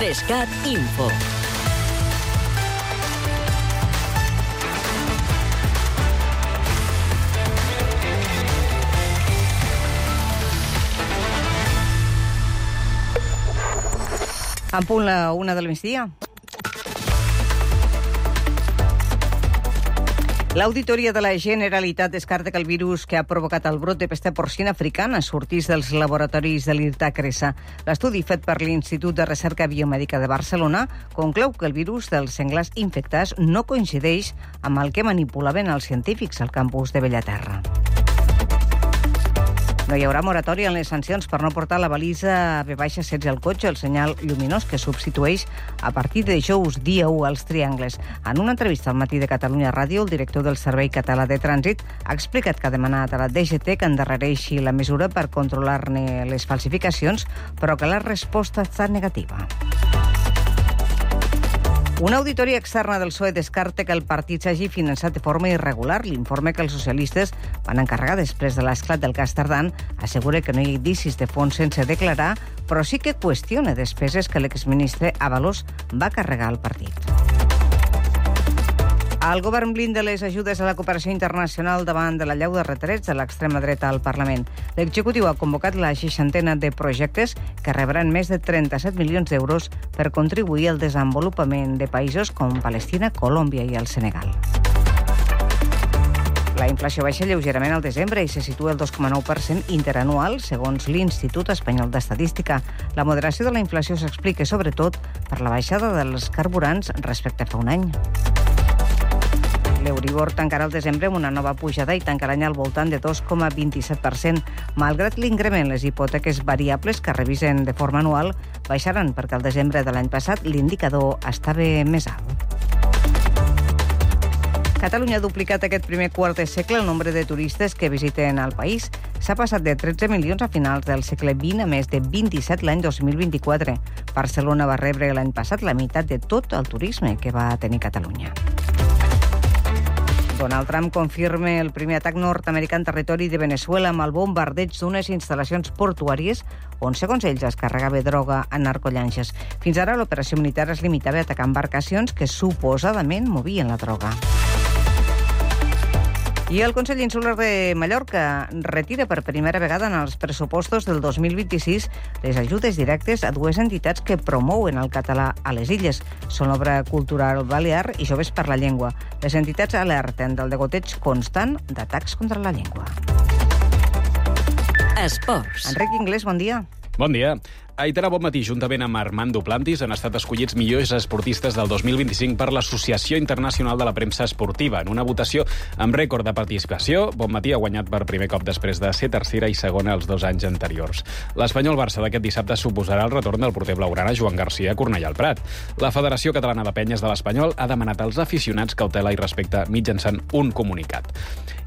3CAT Info. En punt la 1 del migdia. L'Auditoria de la Generalitat descarta que el virus que ha provocat el brot de pesta porcina africana sortís dels laboratoris de l'Irta-Cresa. L'estudi fet per l'Institut de Recerca Biomèdica de Barcelona conclou que el virus dels senglars infectats no coincideix amb el que manipulaven els científics al campus de Bellaterra. No hi haurà moratòria en les sancions per no portar la balisa V-16 al cotxe, el senyal lluminós que substitueix a partir de dijous dia 1 als triangles. En una entrevista al Matí de Catalunya Ràdio, el director del Servei Català de Trànsit ha explicat que ha demanat a la DGT que endarrereixi la mesura per controlar-ne les falsificacions, però que la resposta ha estat negativa. Una auditoria externa del PSOE descarta que el partit s'hagi finançat de forma irregular. L'informe que els socialistes van encarregar després de l'esclat del cas Tardán assegura que no hi ha indicis de fons sense declarar, però sí que qüestiona despeses que l'exministre Ábalos va carregar al partit. El govern blinda les ajudes a la cooperació internacional davant de la llau de retrets de l'extrema dreta al Parlament. L'executiu ha convocat la 60ena de projectes que rebran més de 37 milions d'euros per contribuir al desenvolupament de països com Palestina, Colòmbia i el Senegal. La inflació baixa lleugerament al desembre i se situa al 2,9% interanual, segons l'Institut Espanyol d'Estadística. La moderació de la inflació s'explica sobretot per la baixada dels carburants respecte a fa un any. L'Euribor tancarà el desembre amb una nova pujada i tancarà l'any al voltant de 2,27%. Malgrat l'increment, les hipoteques variables que revisen de forma anual baixaran perquè al desembre de l'any passat l'indicador estava més alt. Catalunya ha duplicat aquest primer quart de segle el nombre de turistes que visiten el país. S'ha passat de 13 milions a finals del segle XX a més de 27 l'any 2024. Barcelona va rebre l'any passat la meitat de tot el turisme que va tenir Catalunya. Donald Trump confirma el primer atac nord-americà en territori de Venezuela amb el bombardeig d'unes instal·lacions portuàries on, segons ells, es carregava droga a narcollanxes. Fins ara, l'operació militar es limitava a atacar embarcacions que suposadament movien la droga. I el Consell Insular de Mallorca retira per primera vegada en els pressupostos del 2026 les ajudes directes a dues entitats que promouen el català a les illes. Són l'Obra Cultural Balear i Joves per la Llengua. Les entitats alerten del degoteig constant d'atacs contra la llengua. Esports. Enric Inglés, bon dia. Bon dia. Aitana Bonmatí, juntament amb Armand Duplantis, han estat escollits millors esportistes del 2025 per l'Associació Internacional de la Premsa Esportiva. En una votació amb rècord de participació, Bonmatí ha guanyat per primer cop després de ser tercera i segona els 2 anys anteriors. L'Espanyol Barça d'aquest dissabte suposarà el retorn del porter blaugrana Joan Garcia a Cornellà al Prat. La Federació Catalana de Penyes de l'Espanyol ha demanat als aficionats cautela i respecte mitjançant un comunicat.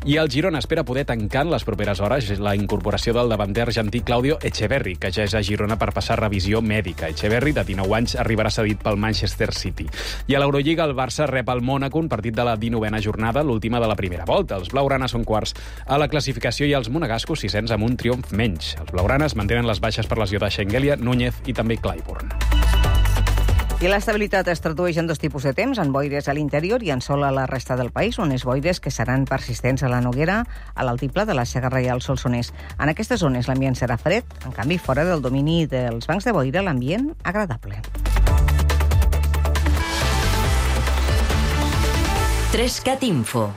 I el Girona espera poder tancar en les properes hores la incorporació del davanter argentí Claudio Echeverri, que ja és a Girona per passar revisió mèdica. Echeverri, de 19 anys, arribarà cedit pel Manchester City. I a l'Eurolliga, el Barça rep el Mònaco un partit de la 19a jornada, l'última de la primera volta. Els blaugranes són quarts a la classificació i els monegascos 600 amb un triomf menys. Els blaugranes mantenen les baixes per lesió de Schengelia, Núñez i també Clyburn. I l'estabilitat es tradueix en 2 tipus de temps, en boires a l'interior i en sol a la resta del país, unes boires que seran persistents a la Noguera, a l'altiplà de la Segarra i al Solsonès. En aquestes zones l'ambient serà fred, en canvi fora del domini dels bancs de boira l'ambient agradable. 3CAT Info.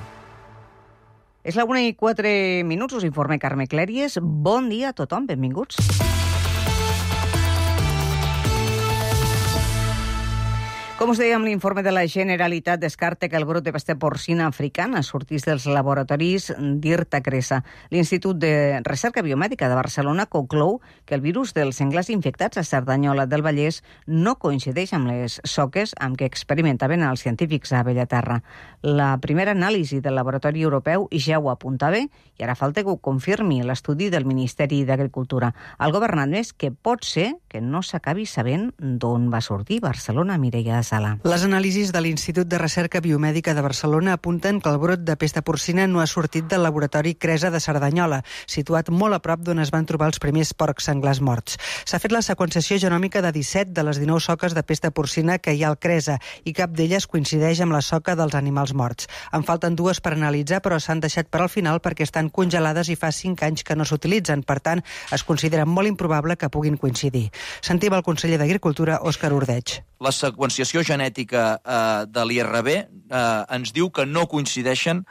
És la 1:04, us informa Carme Clèries. Bon dia a tothom, benvinguts. Com us dèiem, l'informe de la Generalitat descarta que el brot de pesta porcina africana sortís dels laboratoris d'Irta-Cresa. L'Institut de Recerca Biomèdica de Barcelona conclou que el virus dels senglars infectats a Cerdanyola del Vallès no coincideix amb les soques amb què experimentaven els científics a Bellaterra. La primera anàlisi del laboratori europeu ja ho apuntava i ara falta que ho confirmi l'estudi del Ministeri d'Agricultura. El govern ha admès que pot ser que no s'acabi sabent d'on va sortir Barcelona, Mireia Sala. Sala. Les anàlisis de l'Institut de Recerca Biomèdica de Barcelona apunten que el brot de pesta porcina no ha sortit del laboratori Cresa de Cerdanyola, situat molt a prop d'on es van trobar els primers porcs senglars morts. S'ha fet la seqüenciació genòmica de 17 de les 19 soques de pesta porcina que hi ha al Cresa i cap d'elles coincideix amb la soca dels animals morts. En falten 2 per analitzar, però s'han deixat per al final perquè estan congelades i fa 5 anys que no s'utilitzen. Per tant, es considera molt improbable que puguin coincidir. Sentim el conseller d'Agricultura, Òscar Ordeig. La seqüenciació genètica de l'IRB ens diu que no coincideixen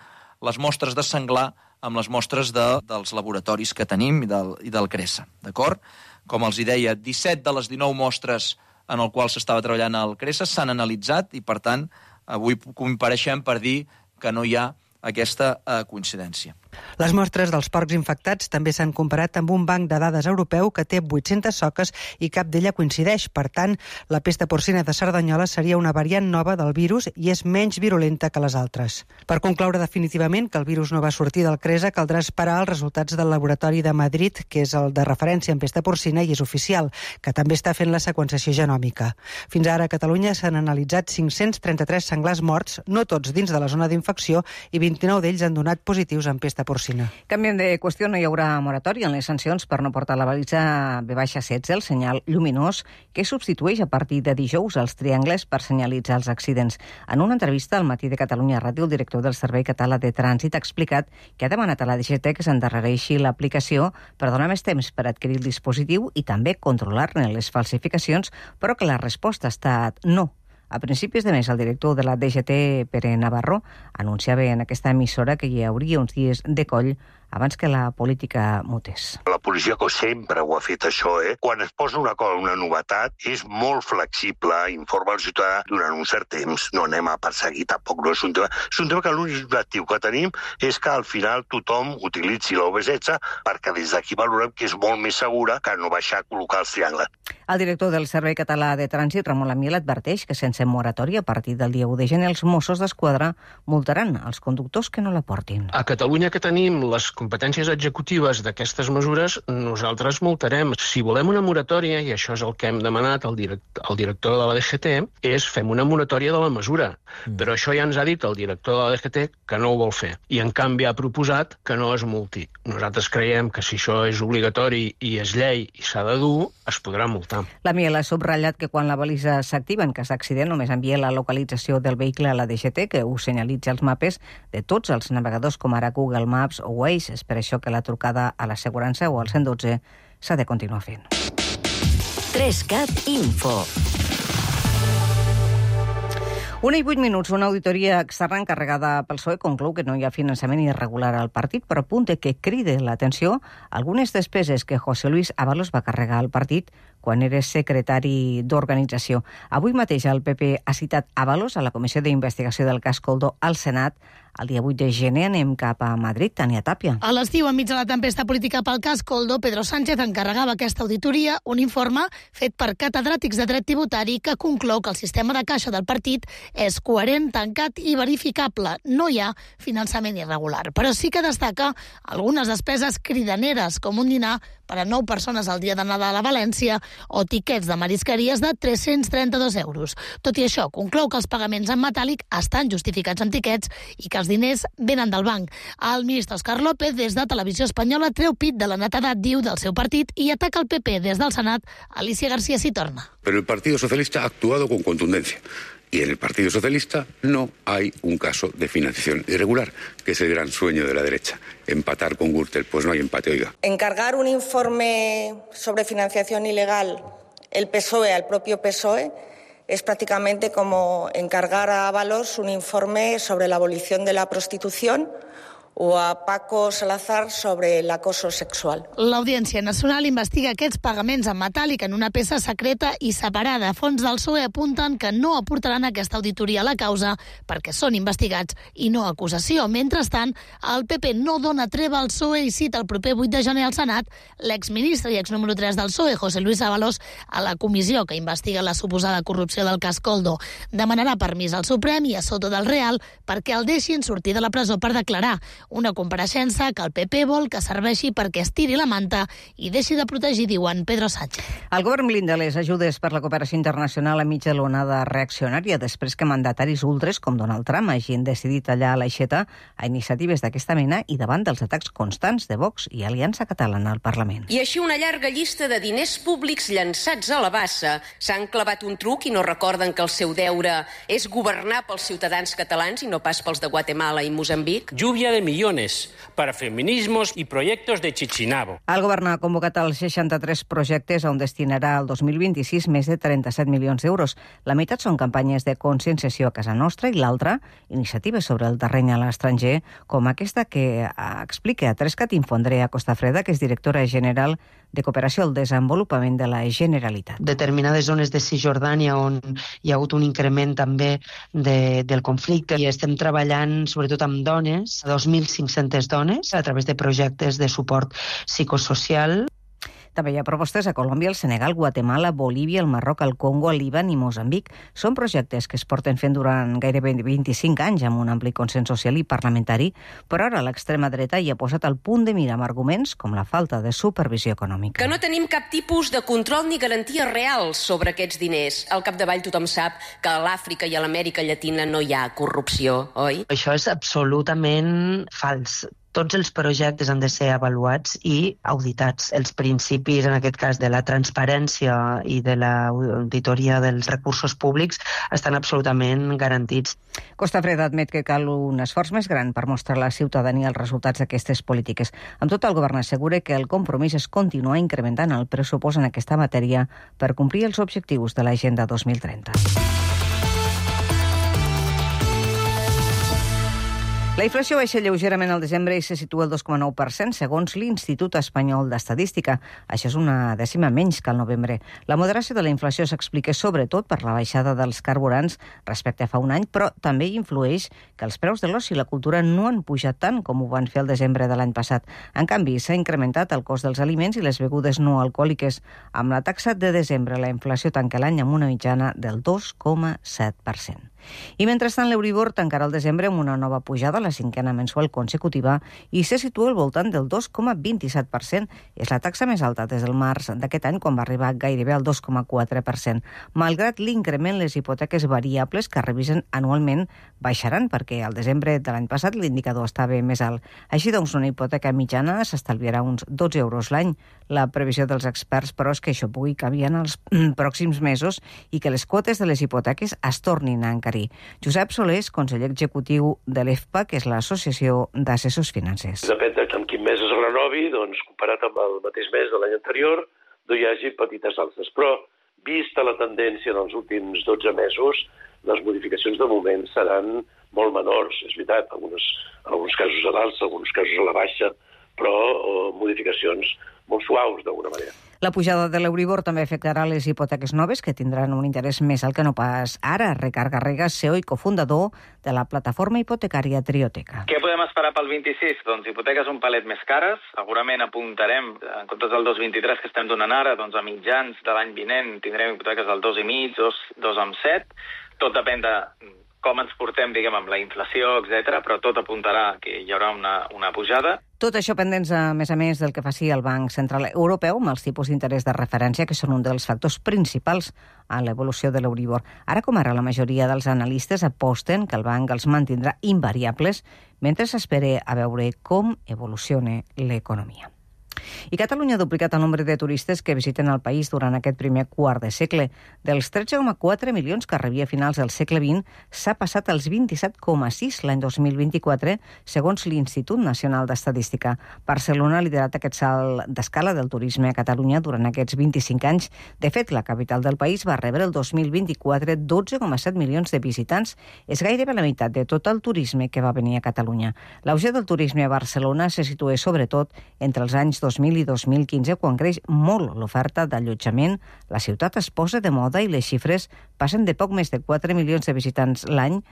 les mostres de senglar amb les mostres dels laboratoris que tenim i del CRESA, d'acord? Com els deia, 17 de les 19 mostres en el qual s'estava treballant al CRESA s'han analitzat i, per tant, avui compareixem per dir que no hi ha aquesta coincidència. Les mostres dels porcs infectats també s'han comparat amb un banc de dades europeu que té 800 soques i cap d'ella coincideix. Per tant, la pesta porcina de Cerdanyola seria una variant nova del virus i és menys virulenta que les altres. Per concloure definitivament que el virus no va sortir del CRESA, caldrà esperar els resultats del laboratori de Madrid, que és el de referència en pesta porcina i és oficial, que també està fent la seqüenciació genòmica. Fins ara a Catalunya s'han analitzat 533 senglars morts, no tots dins de la zona d'infecció, i 29 d'ells han donat positius en pesta porcina. Canviem de qüestió, no hi haurà moratòria en les sancions per no portar la balisa B-16, el senyal lluminós, que substitueix a partir de dijous els triangles per senyalitzar els accidents. En una entrevista al Matí de Catalunya Ràdio, el director del Servei Català de Trànsit ha explicat que ha demanat a la DGT que s'endarrereixi l'aplicació per donar més temps per adquirir el dispositiu i també controlar-ne les falsificacions, però que la resposta ha estat no. A principis de mes, el director de la DGT, Pere Navarro, anunciava en aquesta emissora que hi hauria uns dies de coll abans que la política mutés. La policia, que sempre ho ha fet això, quan es posa una novetat, és molt flexible, informa al ciutadà durant un cert temps, no anem a perseguir, tampoc no és un tema. És un tema que l'únic objectiu que tenim és que al final tothom utilitzi la V16 perquè des d'aquí valorem que és molt més segura que no baixar a col·locar els triangles. El director del Servei Català de Trànsit, Ramon Lamiel, adverteix que sense moratòria a partir del dia 1 de gener els Mossos d'Esquadra multaran els conductors que no la portin. A Catalunya, que tenim les competències executives d'aquestes mesures, nosaltres multarem. Si volem una moratòria, i això és el que hem demanat al director de la DGT, és fem una moratòria de la mesura. Però això ja ens ha dit el director de la DGT que no ho vol fer. I en canvi ha proposat que no es multi. Nosaltres creiem que si això és obligatori i és llei i s'ha de dur, es podrà multar. La Miel ha subratllat que quan la balisa s'activa en cas d'accident només envia la localització del vehicle a la DGT, que ho senyalitza als mapes de tots els navegadors com ara Google Maps o Waze. És per això que la trucada a l'assegurança o al 112 s'ha de continuar fent. 3CAT Info. 1:08, una auditoria externa encarregada pel PSOE conclou que no hi ha finançament irregular al partit, però apunta que crida l'atenció algunes despeses que José Luis Ábalos va carregar al partit quan era secretari d'organització. Avui mateix el PP ha citat Ábalos a la Comissió d'Investigació del cas Coldo al Senat. El dia 8 de gener anem cap a Madrid, Tània Tàpia. A l'estiu, enmig de la tempesta política pel cas Coldo, Pedro Sánchez encarregava aquesta auditoria, un informe fet per catedràtics de dret tributari que conclou que el sistema de caixa del partit és coherent, tancat i verificable. No hi ha finançament irregular, però sí que destaca algunes despeses cridaneres, com un dinar per a 9 persones al dia de Nadal a València o tiquets de marisqueries de 332 euros. Tot i això, conclou que els pagaments en metàl·lic estan justificats amb tiquets i que els diners venen del banc. El ministre Òscar López, des de Televisió Espanyola, treu pit de la netedat, diu, del seu partit i ataca el PP des del Senat. Alicia García s'hi torna. Pero el Partido Socialista ha actuado con contundencia. Y en el Partido Socialista no hay un caso de financiación irregular, que es el gran sueño de la derecha. Empatar con Gürtel, pues no hay empate, oiga. Encargar un informe sobre financiación ilegal el PSOE al propio PSOE es prácticamente como encargar a Ábalos un informe sobre la abolición de la prostitución o a Paco Salazar sobre el acoso sexual. L'Audiència Nacional investiga aquests pagaments en metàl·lic en una peça secreta i separada. Fons del PSOE apunten que no aportaran aquesta auditoria a la causa perquè són investigats i no acusació. Mentrestant, el PP no dona treva al PSOE i cita el proper 8 de gener al Senat l'exministre i exnúmero 3 del PSOE, José Luis Ábalos, a la comissió que investiga la suposada corrupció del cas Coldo. Demanarà permís al Suprem i a Soto del Real perquè el deixin sortir de la presó per declarar. Una compareixença que el PP vol que serveixi perquè estiri la manta i deixi de protegir, diuen Pedro Sánchez. El govern blinda les ajudes per la cooperació internacional enmig de l'onada reaccionària després que mandataris ultres com Donald Trump hagin decidit tallar l'aixeta a iniciatives d'aquesta mena i davant dels atacs constants de Vox i Aliança Catalana al Parlament. I així una llarga llista de diners públics llançats a la bassa. S'han clavat un truc i no recorden que el seu deure és governar pels ciutadans catalans i no pas pels de Guatemala i Moçambic. Lluvia de millones para feminismos y proyectos de Chichinabo. El govern ha convocat els 63 projectes on destinarà al 2026 més de 37 milions d'euros. La meitat són campanyes de conscienciació a casa nostra i l'altra, iniciatives sobre el terreny a l'estranger, com aquesta que explica a Trescat Info Andrea Costafreda, que és directora general de Cooperació al Desenvolupament de la Generalitat. Determinades zones de Cisjordània on hi ha hagut un increment també del conflicte i estem treballant sobretot amb dones, 2.500 dones, a través de projectes de suport psicosocial. També hi ha propostes a Colòmbia, el Senegal, Guatemala, Bolívia, el Marroc, el Congo, el Líban i Moçambic. Són projectes que es porten fent durant gairebé 25 anys amb un ampli consens social i parlamentari, però ara l'extrema dreta hi ha posat el punt de mira amb arguments com la falta de supervisió econòmica. Que no tenim cap tipus de control ni garanties reals sobre aquests diners. Al capdavall tothom sap que a l'Àfrica i a l'Amèrica Llatina no hi ha corrupció, oi? Això és absolutament fals. Tots els projectes han de ser avaluats i auditats. Els principis, en aquest cas, de la transparència i de l'auditoria dels recursos públics estan absolutament garantits. Costafreda admet que cal un esforç més gran per mostrar a la ciutadania els resultats d'aquestes polítiques. Amb tot, el govern assegura que el compromís és continuar incrementant el pressupost en aquesta matèria per complir els objectius de l'Agenda 2030. La inflació baixa lleugerament al desembre i se situa al 2,9%, segons l'Institut Espanyol d'Estadística. Això és una dècima menys que al novembre. La moderació de la inflació s'explica sobretot per la baixada dels carburants respecte a fa un any, però també hi influeix que els preus de l'oci i la cultura no han pujat tant com ho van fer al desembre de l'any passat. En canvi, s'ha incrementat el cost dels aliments i les begudes no alcohòliques. Amb la taxa de desembre, la inflació tanca l'any amb una mitjana del 2,7%. I mentrestant, l'Euribor tancarà el desembre amb una nova pujada, la cinquena mensual consecutiva, i se situa al voltant del 2,27%. És la taxa més alta des del març d'aquest any, quan va arribar gairebé al 2,4%. Malgrat l'increment, les hipoteques variables que revisen anualment baixaran, perquè al desembre de l'any passat l'indicador estava més alt. Així doncs, una hipoteca mitjana s'estalviarà uns 12 euros l'any. La previsió dels experts, però, és que això pugui canviar en els pròxims mesos i que les quotes de les hipoteques es tornin a encarir. Josep Solés, conseller executiu de l'EFPA, que és l'Associació d'Assessors Financers. Depèn de en quin mes es renovi, doncs, comparat amb el mateix mes de l'any anterior, no hi hagi petites alces. Però, vista la tendència dels últims 12 mesos, les modificacions de moment seran molt menors. És veritat, en alguns casos a l'alça, en alguns casos a la baixa, però modificacions molt suaus, d'alguna manera. La pujada de l'Euribor també afectarà les hipoteques noves, que tindran un interès més alt que no pas ara. Ricard Garriga, CEO i cofundador de la plataforma hipotecària Trioteca. Què podem esperar pel 26? Doncs hipoteques un palet més cares. Segurament apuntarem, en comptes del 2,23 que estem donant ara, doncs a mitjans de l'any vinent tindrem hipoteques del 2,5, 2,7. Tot depèn de com ens portem, diguem, amb la inflació, etc., però tot apuntarà que hi haurà una pujada. Tot això pendents, a més, del que faci el Banc Central Europeu amb els tipus d'interès de referència, que són un dels factors principals en l'evolució de l'Euribor. Ara com ara, la majoria dels analistes aposten que el banc els mantindrà invariables mentre s'espera a veure com evoluciona l'economia. I Catalunya ha duplicat el nombre de turistes que visiten el país durant aquest primer quart de segle. Dels 13,4 milions que rebia a finals del segle XX, s'ha passat als 27,6 l'any 2024, segons l'Institut Nacional d'Estadística. Barcelona ha liderat aquest salt d'escala del turisme a Catalunya durant aquests 25 anys. De fet, la capital del país va rebre el 2024 12,7 milions de visitants. És gairebé la meitat de tot el turisme que va venir a Catalunya. L'auge del turisme a Barcelona se situa sobretot entre els anys 2000 i 2015, quan creix molt l'oferta d'allotjament, la ciutat es posa de moda i les xifres passen de poc més de 4 milions de visitants l'any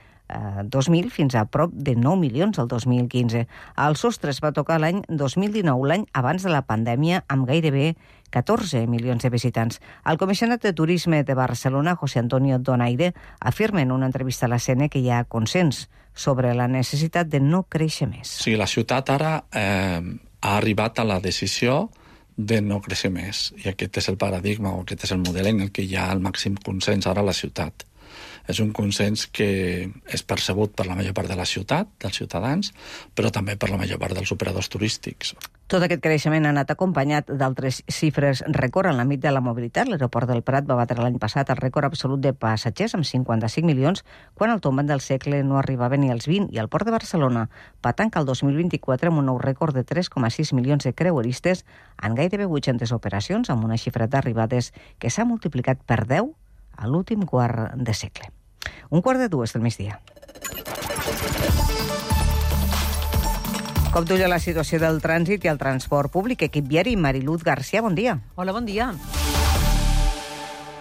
2000 fins a prop de 9 milions el 2015. El sostre es va tocar l'any 2019, l'any abans de la pandèmia, amb gairebé 14 milions de visitants. El comissionat de Turisme de Barcelona, José Antonio Donaire, afirma en una entrevista a la CN que hi ha consens sobre la necessitat de no créixer més. Sí, la ciutat ara ha arribat a la decisió de no créixer més. I aquest és el paradigma, o aquest és el model en el que hi ha el màxim consens ara a la ciutat. És un consens que és percebut per la major part de la ciutat, dels ciutadans, però també per la major part dels operadors turístics. Tot aquest creixement ha anat acompanyat d'altres xifres rècord en l'àmbit de la mobilitat. L'aeroport del Prat va batre l'any passat el rècord absolut de passatgers amb 55 milions, quan al tombat del segle no arribava ni als 20, i el port de Barcelona va tancar el 2024 amb un nou rècord de 3,6 milions de creueristes en gairebé 800 operacions, amb una xifra d'arribades que s'ha multiplicat per 10 a l'últim quart de segle. 1:45 del migdia. Com d'ull a la situació del trànsit i el transport públic, equip viari, Mariluz García, bon dia. Hola, bon dia.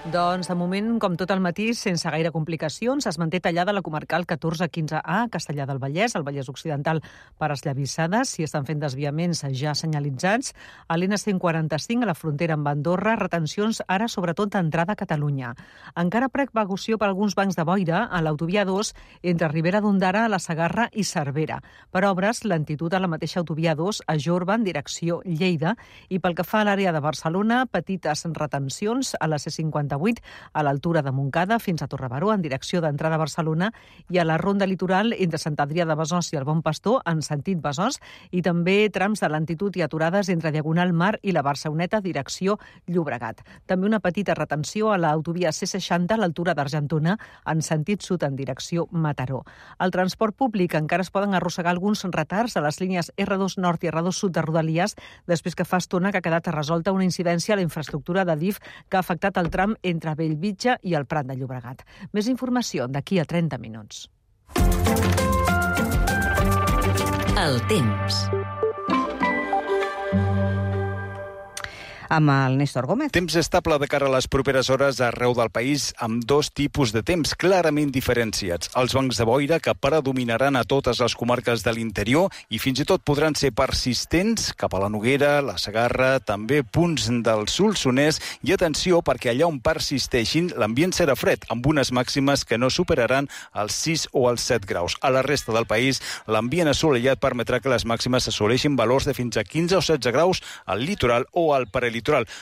Doncs, de moment, com tot el matí, sense gaire complicacions, es manté tallada la comarcal 1415A, Castellar del Vallès, el Vallès Occidental per Esllavissades. S'hi estan fent desviaments ja senyalitzats. A l'N145, a la frontera amb Andorra, retencions ara sobretot d'entrada a Catalunya. Encara precaució per alguns bancs de boira a l'autovia 2 entre Ribera d'Ondara, la Segarra i Cervera. Per obres, lentitud a la mateixa autovia 2 a Jorba en direcció Lleida, i pel que fa a l'àrea de Barcelona, petites retencions a la C58 a l'altura de Montcada fins a Torrebaró en direcció d'entrada a Barcelona, i a la ronda litoral entre Sant Adrià de Besòs i el Bon Pastor en sentit Besòs, i també trams de lentitud i aturades entre Diagonal Mar i la Barceloneta direcció Llobregat. També una petita retenció a l'autovia C60 a l'altura d'Argentona en sentit sud en direcció Mataró. Al transport públic encara es poden arrossegar alguns retards a les línies R2 Nord i R2 Sud de Rodalies després que fa estona que ha quedat resolta una incidència a la infraestructura de DIF que ha afectat el tram entre Bellvitge i el Prat de Llobregat. Més informació d'aquí a 30 minuts. El temps. Amb el Néstor Gómez. Temps estable de cara a les properes hores arreu del país, amb dos tipus de temps clarament diferenciats. Els bancs de boira, que predominaran a totes les comarques de l'interior i fins i tot podran ser persistents cap a la Noguera, la Segarra, també punts del Solsonès, i atenció perquè allà on persisteixin l'ambient serà fred, amb unes màximes que no superaran els 6 o els 7 graus. A la resta del país, l'ambient assolellat permetrà que les màximes assoleixin valors de fins a 15 o 16 graus al litoral o al prelitoral.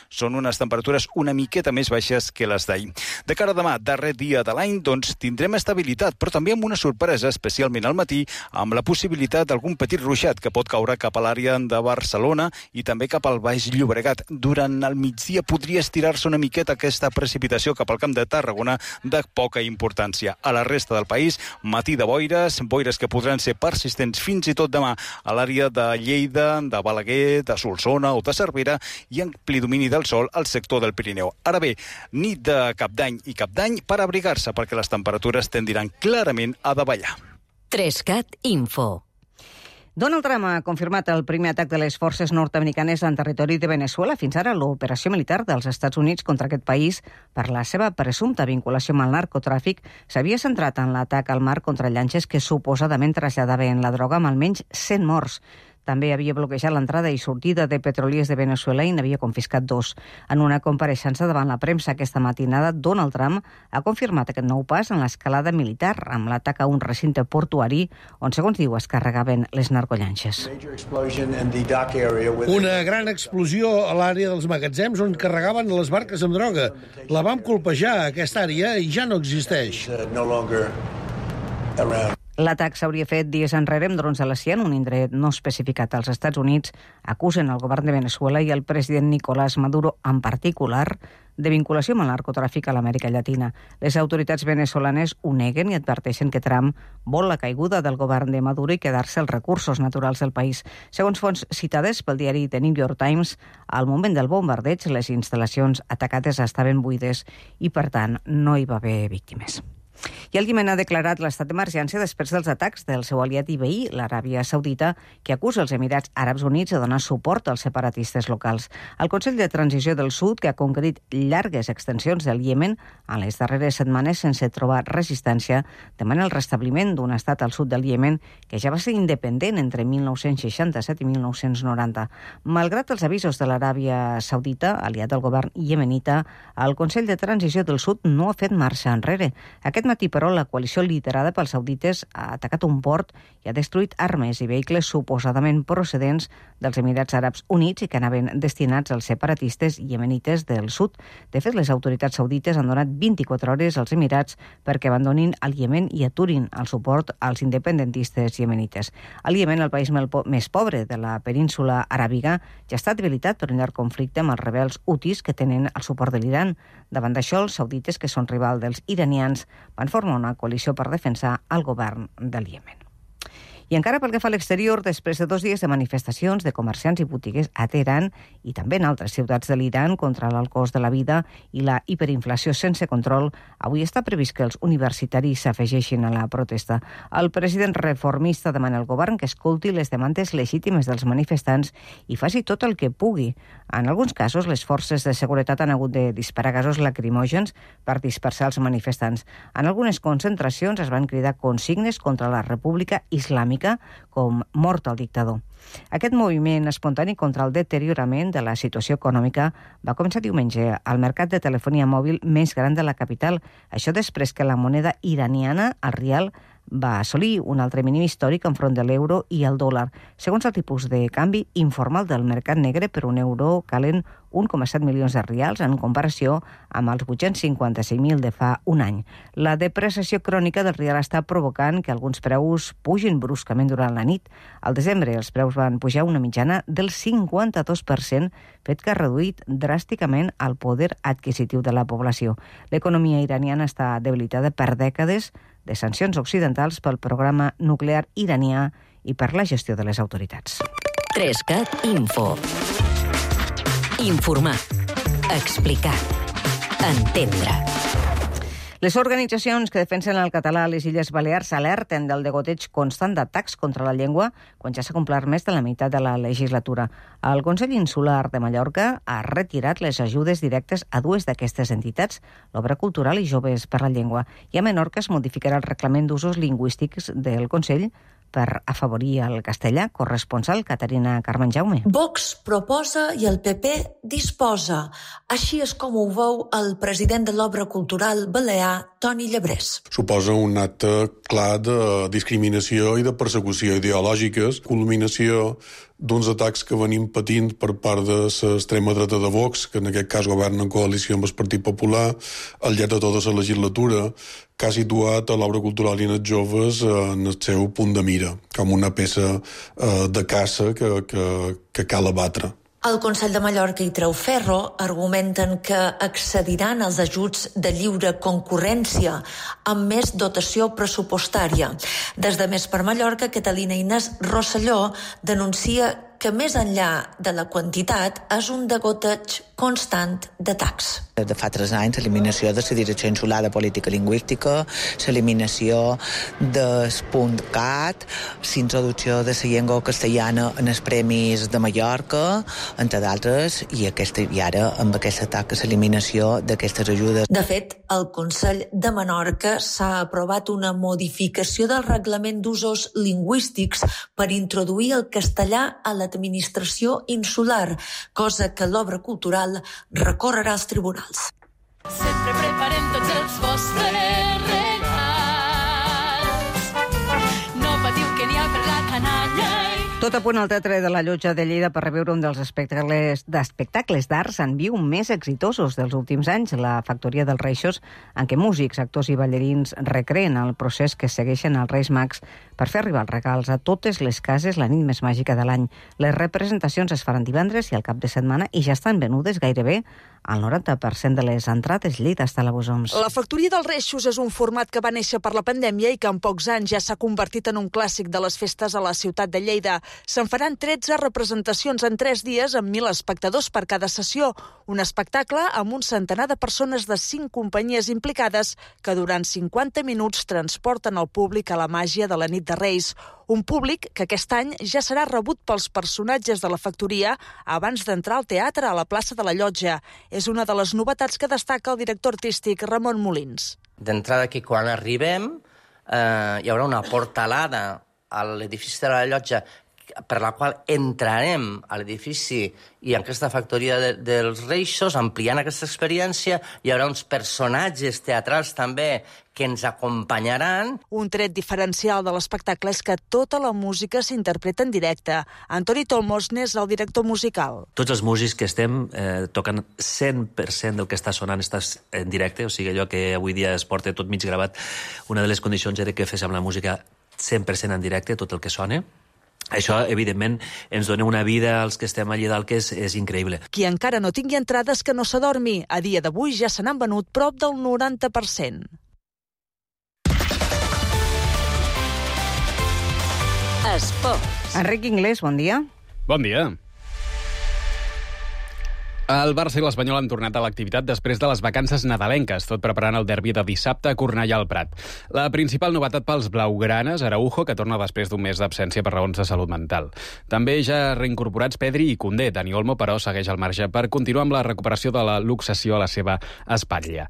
Són unes temperatures una miqueta més baixes que les d'ahir. De cara a demà, darrer dia de l'any, doncs tindrem estabilitat, però també amb una sorpresa, especialment al matí, amb la possibilitat d'algun petit ruixat que pot caure cap a l'àrea de Barcelona i també cap al Baix Llobregat. Durant el migdia podria estirar-se una miqueta aquesta precipitació cap al Camp de Tarragona de poca importància. A la resta del país, matí de boires que podran ser persistents fins i tot demà a l'àrea de Lleida, de Balaguer, de Solsona o de Cervera, i ampli domini del sol al sector del Pirineu. Ara bé, nit de Cap d'Any i Cap d'Any per abrigar-se, perquè les temperatures tendiran clarament a davallar. 3CAT Info. Donald Trump ha confirmat el primer atac de les forces nord-americanes en territori de Venezuela. Fins ara, l'operació militar dels Estats Units contra aquest país, per la seva presumpta vinculació amb el narcotràfic, s'havia centrat en l'atac al mar contra llanxes que suposadament traslladaven la droga, amb almenys 100 morts. També havia bloquejat l'entrada i sortida de petroliers de Venezuela i n'havia confiscat 2. En una compareixença davant la premsa aquesta matinada, Donald Trump ha confirmat aquest nou pas en l'escalada militar amb l'atac a un recinte portuari on, segons diu, es carregaven les narcollanxes. Una gran explosió a l'àrea dels magatzems on carregaven les barques amb droga. La vam colpejar, aquesta àrea, i ja no existeix. L'atac s'hauria fet dies enrere amb drons de la CIA en un indret no especificat. Els Estats Units acusen el govern de Venezuela i el president Nicolás Maduro en particular de vinculació amb el narcotràfic a l'Amèrica Llatina. Les autoritats venezolanes ho neguen i adverteixen que Trump vol la caiguda del govern de Maduro i quedar-se els recursos naturals del país. Segons fonts citades pel diari The New York Times, al moment del bombardeig les instal·lacions atacades estaven buides i, per tant, no hi va haver víctimes. I el Iemen ha declarat l'estat d'emergència després dels atacs del seu aliat i veí, l'Aràbia Saudita, que acusa els Emirats Àrabs Units de donar suport als separatistes locals. El Consell de Transició del Sud, que ha conquerit llargues extensions del Iemen en les darreres setmanes sense trobar resistència, demana el restabliment d'un estat al sud del Iemen que ja va ser independent entre 1967 i 1990. Malgrat els avisos de l'Aràbia Saudita, aliat del govern iemenita, el Consell de Transició del Sud no ha fet marxa enrere. Aquest matí, però, la coalició liderada pels saudites ha atacat un port i ha destruït armes i vehicles suposadament procedents dels Emirats Àrabs Units i que anaven destinats als separatistes iemenites del sud. De fet, les autoritats saudites han donat 24 hores als Emirats perquè abandonin el Iemen i aturin el suport als independentistes iemenites. El Iemen, el país més pobre de la península aràbiga, ja està debilitat per un llarg conflicte amb els rebels hutis que tenen el suport de l'Iran. Davant d'això, els saudites, que són rival dels iranians, van formar una coalició per defensar el govern del Iemen. I encara pel que fa a l'exterior, després de 2 dies de manifestacions de comerciants i botiguers a Teheran i també en altres ciutats de l'Iran contra l'alt cost de la vida i la hiperinflació sense control, avui està previst que els universitaris s'afegeixin a la protesta. El president reformista demana al govern que escolti les demandes legítimes dels manifestants i faci tot el que pugui. En alguns casos, les forces de seguretat han hagut de disparar gasos lacrimògens per dispersar els manifestants. En algunes concentracions es van cridar consignes contra la República Islàmica com mort al dictador. Aquest moviment espontani contra el deteriorament de la situació econòmica va començar diumenge al mercat de telefonia mòbil més gran de la capital. Això després que la moneda iraniana, el rial, va assolir un altre mínim històric enfront de l'euro i el dòlar. Segons el tipus de canvi informal del mercat negre, per un euro calen 1,7 milions de rials en comparació amb els 856.000 de fa un any. La depreciació crònica del rial està provocant que alguns preus pugin bruscament durant la nit. Al desembre els preus van pujar una mitjana del 52%, fet que ha reduït dràsticament el poder adquisitiu de la població. L'economia iraniana està debilitada per dècades de sancions occidentals pel programa nuclear iranià i per la gestió de les autoritats. 3CAT Info. Informar. Explicar. Entendre. Les organitzacions que defensen el català a les Illes Balears alerten del degoteig constant d'atacs contra la llengua quan ja s'ha complert més de la meitat de la legislatura. El Consell Insular de Mallorca ha retirat les ajudes directes a 2 d'aquestes entitats, l'Obra Cultural i Joves per la Llengua. I a Menorca es modificarà el reglament d'usos lingüístics del Consell per afavorir el castellà. Corresponsal Caterina Carmen Jaume. Vox proposa i el PP disposa. Així és com ho veu el president de l'Obra Cultural balear, Toni Llebrés. Suposa un acte clar de discriminació i de persecució ideològiques, culminació d'uns atacs que venim patint per part de l'extrema dreta de Vox, que en aquest cas governa en coalició amb el Partit Popular, al llarg de tota la legislatura, que ha situat a l'Obra Cultural i en els joves en el seu punt de mira, com una peça de caça que cal abatre. El Consell de Mallorca i Treuferro argumenten que accediran als ajuts de lliure concurrència amb més dotació pressupostària. Des de Més per Mallorca, Catalina Inés Rosselló denuncia que més enllà de la quantitat és un degoteig constant d'atacs. De fa 3 anys, l'eliminació de la Direcció Insular de Política Lingüística, l'eliminació del punt CAT, l'introducció de la llengua castellana en els Premis de Mallorca, entre d'altres, i ara amb aquest atac a l'eliminació d'aquestes ajudes. De fet, al Consell de Menorca s'ha aprovat una modificació del reglament d'usos lingüístics per introduir el castellà a l'administració insular, cosa que l'Obra Cultural recorrerà als tribunals. Sempre preparem tots els vostres regals. No patiu que n'hi ha per la canalla. Tot a punt al Teatre de la Llotja de Lleida per reveure un dels espectacles d'arts en viu més exitosos dels últims anys, la Factoria dels Reixos, en què músics, actors i ballarins recreen el procés que segueixen els Reis Mags per fer arribar els regals a totes les cases la nit més màgica de l'any. Les representacions es faran divendres i al cap de setmana i ja estan venudes gairebé el 90% de les entrades. Lleida està a la Bosoms. La Factoria dels Reixos és un format que va néixer per la pandèmia i que en pocs anys ja s'ha convertit en un clàssic de les festes a la ciutat de Lleida. Se'n faran 13 representacions en 3 dies amb 1.000 espectadors per cada sessió. Un espectacle amb un centenar de persones de 5 companyies implicades que durant 50 minuts transporten el públic a la màgia de la nit de Reis. Un públic que aquest any ja serà rebut pels personatges de la factoria abans d'entrar al teatre a la plaça de la Llotja. És una de les novetats que destaca el director artístic Ramon Molins. D'entrada que quan arribem hi haurà una portalada a l'edifici de la Llotja per la qual entrarem a l'edifici i en aquesta factoria dels Reixos, ampliant aquesta experiència. Hi haurà uns personatges teatrals també que ens acompanyaran. Un tret diferencial de l'espectacle és que tota la música s'interpreta en directe. Antoni Tolmos n'és el director musical. Tots els músics que estem toquen 100% del que està sonant estàs en directe, o sigui, allò que avui dia es porta tot mig gravat. Una de les condicions era que féssim la música 100% en directe, tot el que sona. Això, evidentment, ens dona una vida als que estem allà dalt que és increïble. Qui encara no tingui entrades que no s'adormi. A dia d'avui ja se n'han venut prop del 90%. Esports. Enric Inglés, bon dia. Bon dia. El Barça i l'Espanyol han tornat a l'activitat després de les vacances nadalenques, tot preparant el derbi de dissabte a Cornellà al Prat. La principal novetat pels blaugranes, Araujo, que torna després d'un mes d'absència per raons de salut mental. També ja reincorporats Pedri i Koundé. Dani Olmo, però, segueix al marge per continuar amb la recuperació de la luxació a la seva espatlla.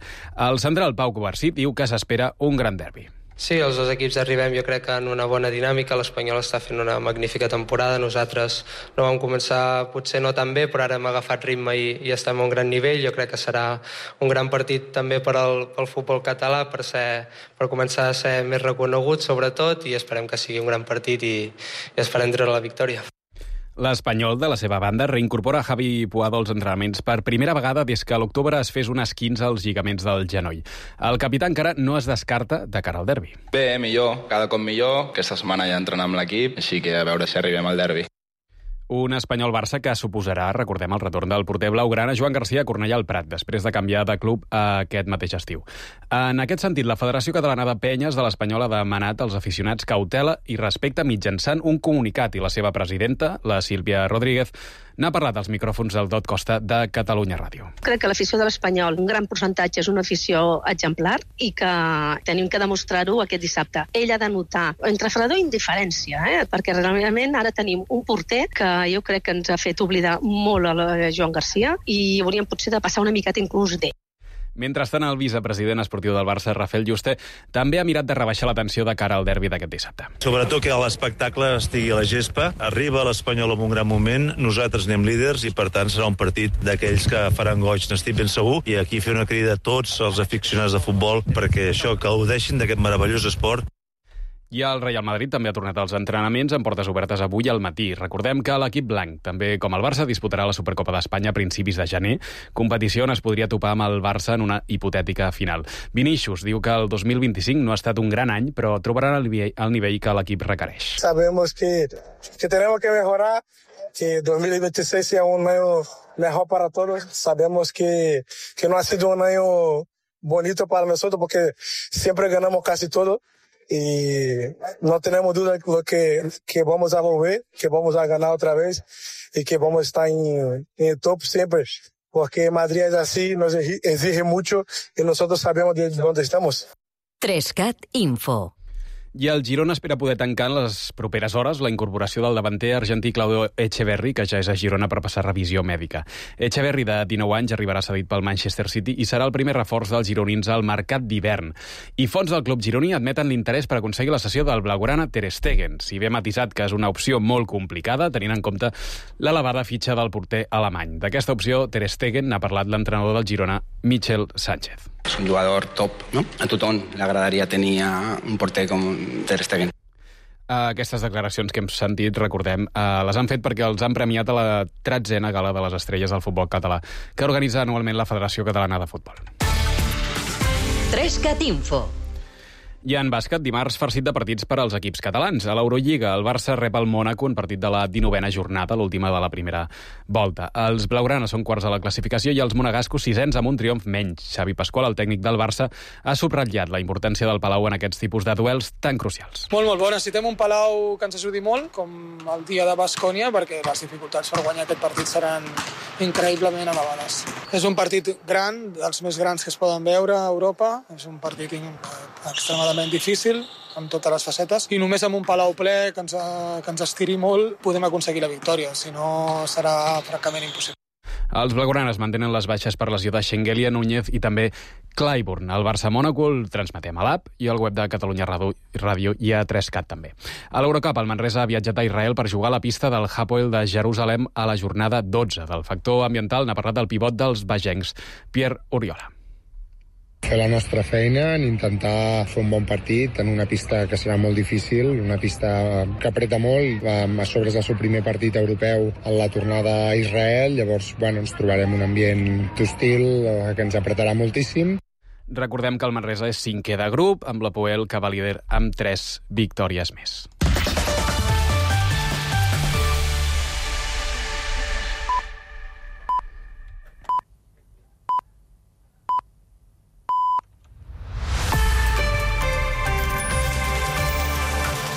El central Pau Cubarsí diu que s'espera un gran derbi. Sí, els dos equips arribem, jo crec que en una bona dinàmica. L'Espanyol està fent una magnífica temporada. Nosaltres no vam començar potser no tan bé, però ara hem agafat ritme i estem a un gran nivell. Jo crec que serà un gran partit també per al futbol català, per començar a ser més reconegut, sobretot, i esperem que sigui un gran partit i esperem treure la victòria. L'Espanyol, de la seva banda, reincorpora Javi Puado als entrenaments per primera vegada des que a l'octubre es fes un esquinç als lligaments del genoll. El capità encara no es descarta de cara al derbi. Bé, millor, cada cop millor. Aquesta setmana ja entrenar amb l'equip, així que a veure si arribem al derbi. Un Espanyol-Barça que suposarà, recordem, el retorn del porter blaugrana Joan Garcia a Cornellà al Prat, després de canviar de club aquest mateix estiu. En aquest sentit, la Federació Catalana de Penyes de l'Espanyol ha demanat als aficionats cautela i respecte mitjançant un comunicat, i la seva presidenta, la Sílvia Rodríguez, n'ha parlat als micròfons del Dot Costa de Catalunya Ràdio. Crec que l'afició de l'Espanyol, un gran percentatge, és una afició exemplar i que tenim que demostrar-ho aquest dissabte. Ell ha de notar entre fredor i indiferència, perquè realment ara tenim un porter que jo crec que ens ha fet oblidar molt a Joan Garcia i hauríem potser de passar una miqueta inclús d'ell. Mentrestant, el vicepresident esportiu del Barça, Rafael Juste, també ha mirat de rebaixar la tensió de cara al derbi d'aquest dissabte. Sobretot que l'espectacle estigui a la gespa, arriba l'Espanyol en un gran moment, nosaltres anem líders i per tant serà un partit d'aquells que faran goig, n'estic ben segur, i aquí fer una crida a tots els aficionats de futbol perquè això gaudeixin d'aquest meravellós esport. I el Real Madrid també ha tornat als entrenaments amb portes obertes avui al matí. Recordem que l'equip blanc, també com el Barça, disputarà la Supercopa d'Espanya a principis de gener, competició on es podria topar amb el Barça en una hipotètica final. Vinícius diu que el 2025 no ha estat un gran any, però trobaran el nivell que l'equip requereix. Sabemos que tenemos que mejorar, que 2026 sea un año mejor para todos. Sabemos que no ha sido un año bonito para nosotros porque siempre ganamos casi todo. Y no tenemos duda que vamos a volver, que vamos a ganar otra vez y que vamos a estar en el top siempre. Porque Madrid es así, nos exige mucho y nosotros sabemos de dónde estamos. 3CAT Info. I el Girona espera poder tancar en les properes hores la incorporació del davanter argentí Claudio Echeverri, que ja és a Girona per passar revisió mèdica. Echeverri, de 19 anys, arribarà cedit pel Manchester City i serà el primer reforç dels gironins al mercat d'hivern. I fons del club gironí admeten l'interès per aconseguir la cessió del blaugrana Ter Stegen, si bé matisat que és una opció molt complicada, tenint en compte l'elevada fitxa del porter alemany. D'aquesta opció, Ter Stegen n'ha parlat l'entrenador del Girona, Michel Sánchez. És un jugador top, no? A tothom li agradaria tenir un porter com Ter Stegen. Aquestes declaracions que hem sentit, recordem, les han fet perquè els han premiat a la 13a Gala de les Estrelles del futbol català, que organitza anualment la Federació Catalana de Futbol. 3CAT Info. I en bàsquet, dimarts farcit de partits per als equips catalans. A l'Eurolliga, el Barça rep el Mònaco en partit de la 19a jornada, l'última de la primera volta. Els blaugrana són quarts a la classificació i els monegascos sisens amb un triomf menys. Xavi Pasqual, el tècnic del Barça, ha subratllat la importància del Palau en aquests tipus de duels tan crucials. Molt bo. Necessitem un Palau que ens ajudi molt, com el dia de Baskònia, perquè les dificultats per guanyar aquest partit seran increïblement elevades. És un partit gran, dels més grans que es poden veure a Europa. És un partit extremadament difícil, amb totes les facetes, i només amb un Palau ple que ens estiri molt podem aconseguir la victòria, si no serà francament impossible. Els blaugranes mantenen les baixes per lesió de Schengelia, Núñez i també Clyburn. El Barça-Mònaco el transmetem a l'app i al web de Catalunya Ràdio i a 3CAT també. A l'Eurocup, el Manresa ha viatjat a Israel per jugar a la pista del Hapoel de Jerusalem a la jornada 12. Del factor ambiental n'ha parlat el pivot dels bagencs, Pierre Oriola. Fer la nostra feina, en intentar fer un bon partit en una pista que serà molt difícil, una pista que apreta molt. A sobre és el seu primer partit europeu en la tornada a Israel, llavors ens trobarem un ambient hostil que ens apretarà moltíssim. Recordem que el Manresa és 5è de grup, amb l'Hapoel que va líder amb 3 victòries més.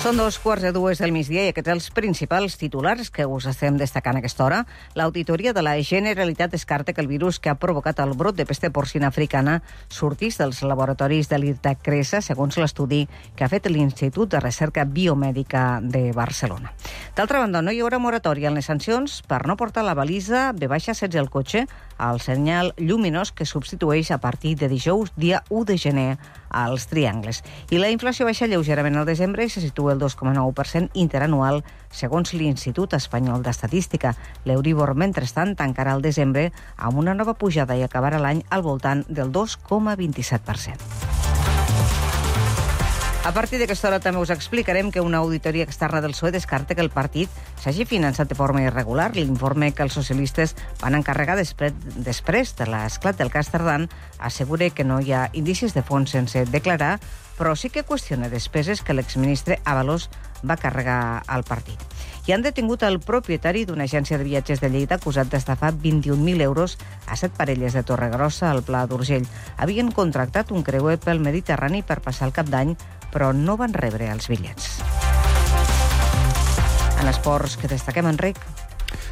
Són 2:15 del migdia i aquests els principals titulars que us estem destacant a aquesta hora. L'auditoria de la Generalitat descarta que el virus que ha provocat el brot de pesta porcina africana sortís dels laboratoris de l'Irta-Cresa, segons l'estudi que ha fet l'Institut de Recerca Biomèdica de Barcelona. D'altra banda, no hi haurà moratòria en les sancions per no portar la balisa B-16 al cotxe al senyal lluminós que substitueix a partir de dijous, dia 1 de gener, als triangles. I la inflació baixa lleugerament al desembre i se situa el 2,9% interanual, segons l'Institut Espanyol d'Estadística. L'Euribor, mentrestant, tancarà el desembre amb una nova pujada i acabarà l'any al voltant del 2,27%. A partir d'aquesta hora també us explicarem que una auditoria externa del PSOE descarta que el partit s'hagi finançat de forma irregular. L'informe que els socialistes van encarregar després de l'esclat del cas Tardán assegura que no hi ha indicis de fons sense declarar, però sí que qüestiona despeses que l'exministre Ábalos va carregar al partit. I han detingut el propietari d'una agència de viatges de Lleida acusat d'estafar 21.000 euros a 7 parelles de Torregrossa al Pla d'Urgell. Havien contractat un creuer pel Mediterrani per passar el Cap d'Any, però no van rebre els bitllets. En esports, que destaquem, Enric?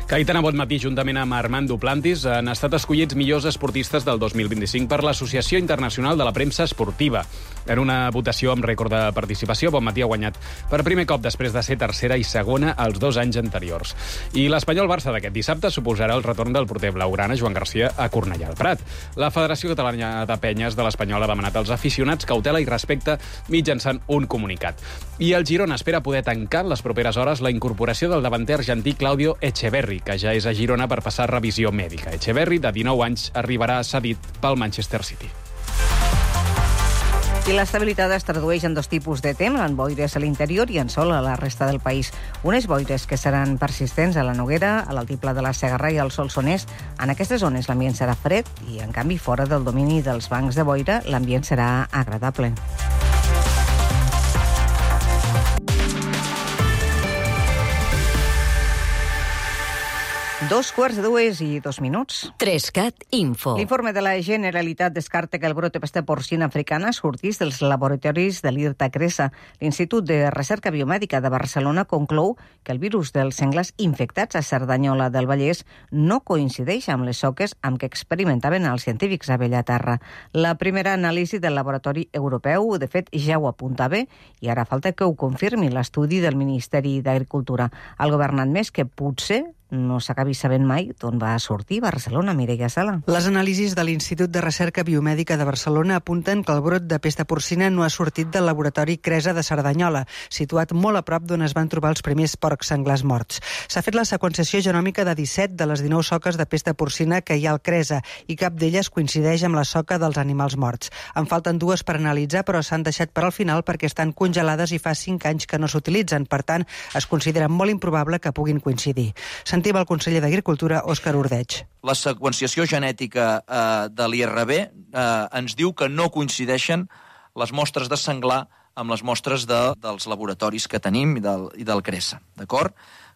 Cayetana Bonmatí, juntament amb Armand Duplantis, han estat escollits millors esportistes del 2025 per l'Associació Internacional de la Premsa Esportiva. En una votació amb rècord de participació, Bonmatí ha guanyat per primer cop després de ser tercera i segona els 2 anys anteriors. I l'Espanyol-Barça d'aquest dissabte suposarà el retorn del porter blaugrana Joan Garcia a Cornellà al Prat. La Federació Catalana de Penyes de l'Espanyol ha demanat als aficionats cautela i respecte mitjançant un comunicat. I el Girona espera poder tancar en les properes hores la incorporació del davanter argentí Claudio Echeverri, que ja és a Girona per passar revisió mèdica. Echeverri, de 19 anys, arribarà cedit pel Manchester City. I l'estabilitat es tradueix en 2 tipus de temps, en boires a l'interior i en sol a la resta del país. Unes boires que seran persistents a la Noguera, a l'altiplà de la Segarra i al Solsonès. En aquestes zones l'ambient serà fred i, en canvi, fora del domini dels bancs de boira, l'ambient serà agradable. Dos quarts de 2:02. 3CAT Info. L'informe de la Generalitat descarta que el brot de pesta porcina africana sortís dels laboratoris de l'Irta-Cresa. L'Institut de Recerca Biomèdica de Barcelona conclou que el virus dels senglars infectats a Cerdanyola del Vallès no coincideix amb les soques amb què experimentaven els científics a Bellaterra. La primera anàlisi del laboratori europeu, de fet, ja ho apuntava i ara falta que ho confirmi l'estudi del Ministeri d'Agricultura. El governant més que potser no s'acabi sabent mai d'on va sortir Barcelona. Mireia Sala. Les anàlisis de l'Institut de Recerca Biomèdica de Barcelona apunten que el brot de pesta porcina no ha sortit del laboratori Cresa de Cerdanyola, situat molt a prop d'on es van trobar els primers porcs senglars morts. S'ha fet la seqüenciació genòmica de 17 de les 19 soques de pesta porcina que hi ha al Cresa i cap d'elles coincideix amb la soca dels animals morts. En falten 2 per analitzar, però s'han deixat per al final perquè estan congelades i fa 5 anys que no s'utilitzen. Per tant, es considera molt improbable que puguin coincidir. Sentim el conseller d'Agricultura, Òscar Ordeig. La seqüenciació genètica de l'IRB ens diu que no coincideixen les mostres de senglar amb les mostres dels laboratoris que tenim i del CRESA, d'acord?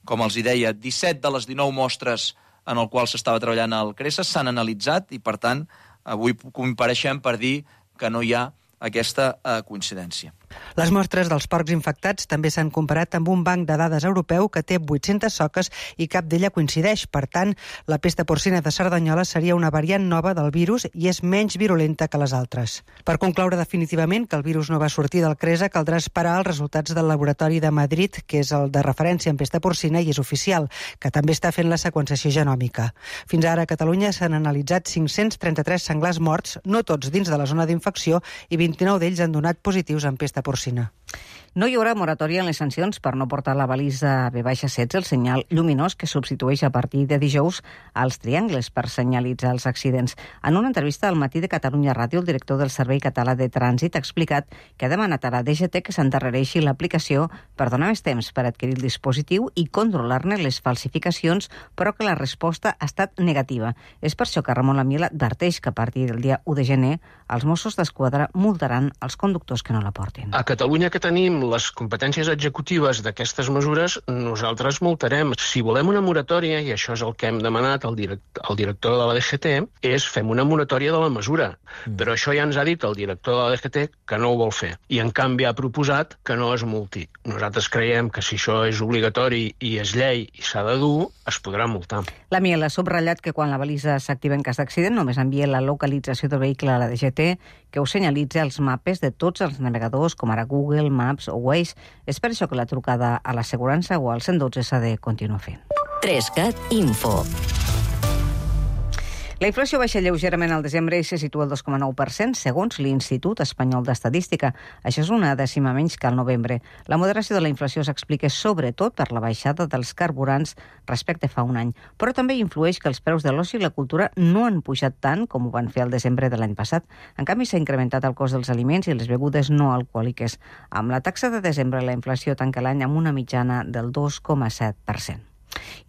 Com els deia, 17 de les 19 mostres en el qual s'estava treballant al CRESA s'han analitzat i, per tant, avui compareixem per dir que no hi ha aquesta coincidència. Les mostres dels porcs infectats també s'han comparat amb un banc de dades europeu que té 800 soques i cap d'ella coincideix. Per tant, la pesta porcina de Cerdanyola seria una variant nova del virus i és menys virulenta que les altres. Per concloure definitivament que el virus no va sortir del CRESA, caldrà esperar els resultats del laboratori de Madrid, que és el de referència en pesta porcina i és oficial, que també està fent la seqüenciació genòmica. Fins ara a Catalunya s'han analitzat 533 senglars morts, no tots dins de la zona d'infecció, i 29 d'ells han donat positius en pesta porcina. No hi haurà moratòria en les sancions per no portar la balisa V-16, el senyal lluminós que substitueix a partir de dijous als triangles per senyalitzar els accidents. En una entrevista al Matí de Catalunya Ràdio, el director del Servei Català de Trànsit ha explicat que ha demanat a la DGT que s'endarrereixi l'aplicació per donar més temps per adquirir el dispositiu i controlar-ne les falsificacions, però que la resposta ha estat negativa. És per això que Ramon Lamiel adverteix que a partir del dia 1 de gener els Mossos d'Esquadra multaran els conductors que no la portin. A Catalunya, que tenim les competències executives d'aquestes mesures, nosaltres multarem. Si volem una moratòria, i això és el que hem demanat al director de la DGT, és fem una moratòria de la mesura. Però això ja ens ha dit el director de la DGT que no ho vol fer. I en canvi ha proposat que no es multi. Nosaltres creiem que si això és obligatori i és llei i s'ha de dur, es podrà multar. La Miel ha subratllat que quan la balisa s'activa en cas d'accident només envia la localització del vehicle a la DGT, que ho senyalitza als mapes de tots els navegadors, com ara Google, Maps o Waze. És per això que la trucada a l'assegurança o al 112 s'ha de continuar fent. 3CAT Info. La inflació baixa lleugerament al desembre i se situa al 2,9%, segons l'Institut Espanyol d'Estadística. Això és una dècima menys que al novembre. La moderació de la inflació s'explica sobretot per la baixada dels carburants respecte fa un any, però també influeix que els preus de l'oci i la cultura no han pujat tant com ho van fer al desembre de l'any passat. En canvi, s'ha incrementat el cost dels aliments i les begudes no alcohòliques. Amb la taxa de desembre, la inflació tanca l'any amb una mitjana del 2,7%.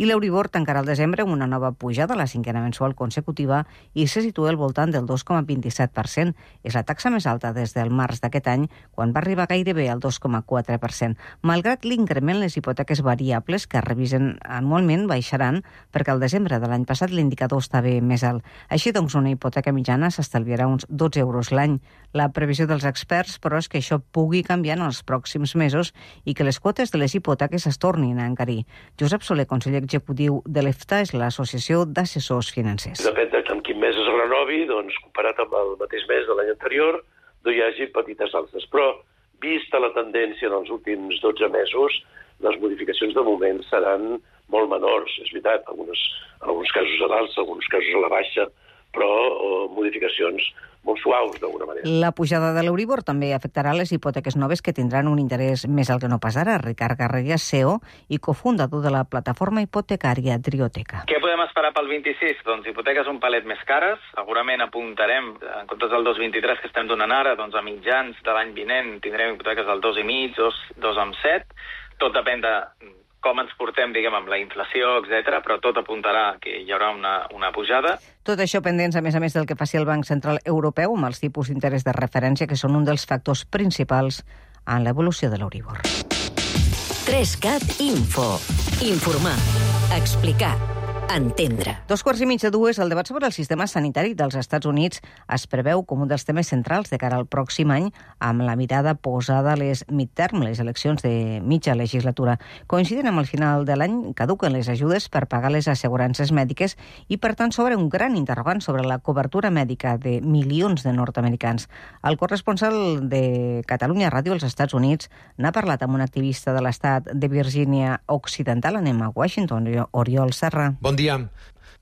I l'Euribor tancarà el desembre amb una nova pujada, la cinquena mensual consecutiva, i se situa al voltant del 2,27%. És la taxa més alta des del març d'aquest any, quan va arribar gairebé al 2,4%. Malgrat l'increment, les hipoteques variables que revisen anualment baixaran, perquè al desembre de l'any passat l'indicador estava més alt. Així doncs, una hipoteca mitjana s'estalviarà uns 12 euros l'any. La previsió dels experts, però, és que això pugui canviar en els pròxims mesos i que les quotes de les hipoteques es tornin a encarir. Josep Soler, conseller executiu de l'EFTA, és l'Associació d'Assessors Financers. Depèn de en quin mes es renovi, doncs, comparat amb el mateix mes de l'any anterior, no hi hagi petites alces. Però, vista la tendència dels últims 12 mesos, les modificacions de moment seran molt menors. És veritat, en alguns casos a l'alça, en alguns casos a la baixa, però modificacions molt suaus, d'alguna manera. La pujada de l'Euribor també afectarà les hipoteques noves que tindran un interès més alt que no pas ara. Ricard Garrigues, CEO i cofundador de la plataforma hipotecària Trioteca. Què podem esperar pel 26? Doncs hipoteques un palet més cares. Segurament apuntarem, en comptes del 2,23 que estem donant ara, doncs a mitjans de l'any vinent tindrem hipoteques del 2,5, 2,7. Tot depèn de com ens portem, diguem, amb la inflació, etc., però tot apuntarà que hi haurà una pujada. Tot això pendents, a més, del que faci el Banc Central Europeu amb els tipus d'interès de referència, que són un dels factors principals en l'evolució de l'Euribor. 3CAT Info. Informar. Explicar. Entendre. 2:15, el debat sobre el sistema sanitari dels Estats Units es preveu com un dels temes centrals de cara al pròxim any, amb la mirada posada a les midterm, les eleccions de mitja legislatura. Coincidint amb el final de l'any, caduquen les ajudes per pagar les assegurances mèdiques i, per tant, s'obre un gran interrogant sobre la cobertura mèdica de milions de nord-americans. El corresponsal de Catalunya Ràdio als Estats Units n'ha parlat amb un activista de l'estat de Virgínia Occidental. Anem a Washington, Oriol Serra. Bon dia.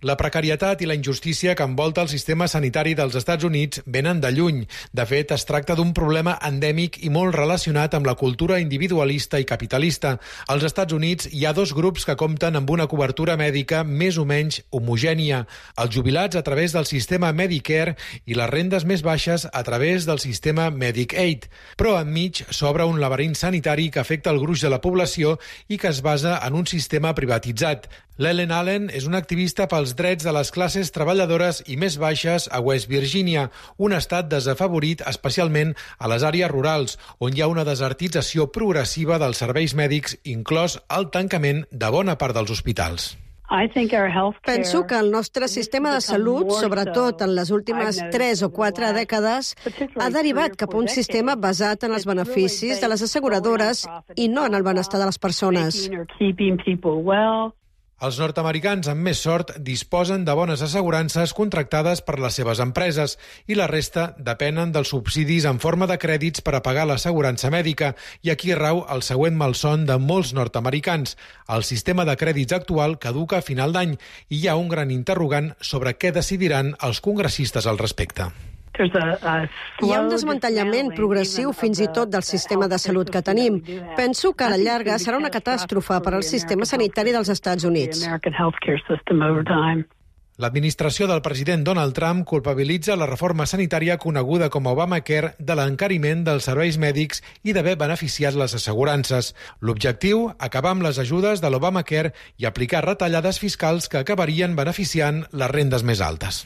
La precarietat i la injustícia que envolta el sistema sanitari dels Estats Units venen de lluny. De fet, es tracta d'un problema endèmic i molt relacionat amb la cultura individualista i capitalista. Als Estats Units hi ha dos grups que compten amb una cobertura mèdica més o menys homogènia. Els jubilats a través del sistema Medicare i les rendes més baixes a través del sistema Medicaid. Però enmig s'obre un laberint sanitari que afecta el gruix de la població i que es basa en un sistema privatitzat. L'Ellen Allen és una activista pels drets de les classes treballadores i més baixes a West Virginia, un estat desafavorit especialment a les àrees rurals, on hi ha una desertització progressiva dels serveis mèdics, inclòs el tancament de bona part dels hospitals. Penso que el nostre sistema de salut, sobretot en les últimes 3 o 4 dècades, ha derivat cap a un sistema basat en els beneficis de les asseguradores i no en el benestar de les persones. Els nord-americans amb més sort disposen de bones assegurances contractades per les seves empreses i la resta depenen dels subsidis en forma de crèdits per a pagar l'assegurança mèdica. I aquí rau el següent malson de molts nord-americans. El sistema de crèdits actual caduca a final d'any i hi ha un gran interrogant sobre què decidiran els congressistes al respecte. Hi ha un desmantellament progressiu fins i tot del sistema de salut que tenim. Penso que a la llarga serà una catàstrofe per al sistema sanitari dels Estats Units. L'administració del president Donald Trump culpabilitza la reforma sanitària coneguda com a Obamacare de l'encariment dels serveis mèdics i d'haver beneficiat les assegurances. L'objectiu, acabar amb les ajudes de l'Obamacare i aplicar retallades fiscals que acabarien beneficiant les rendes més altes.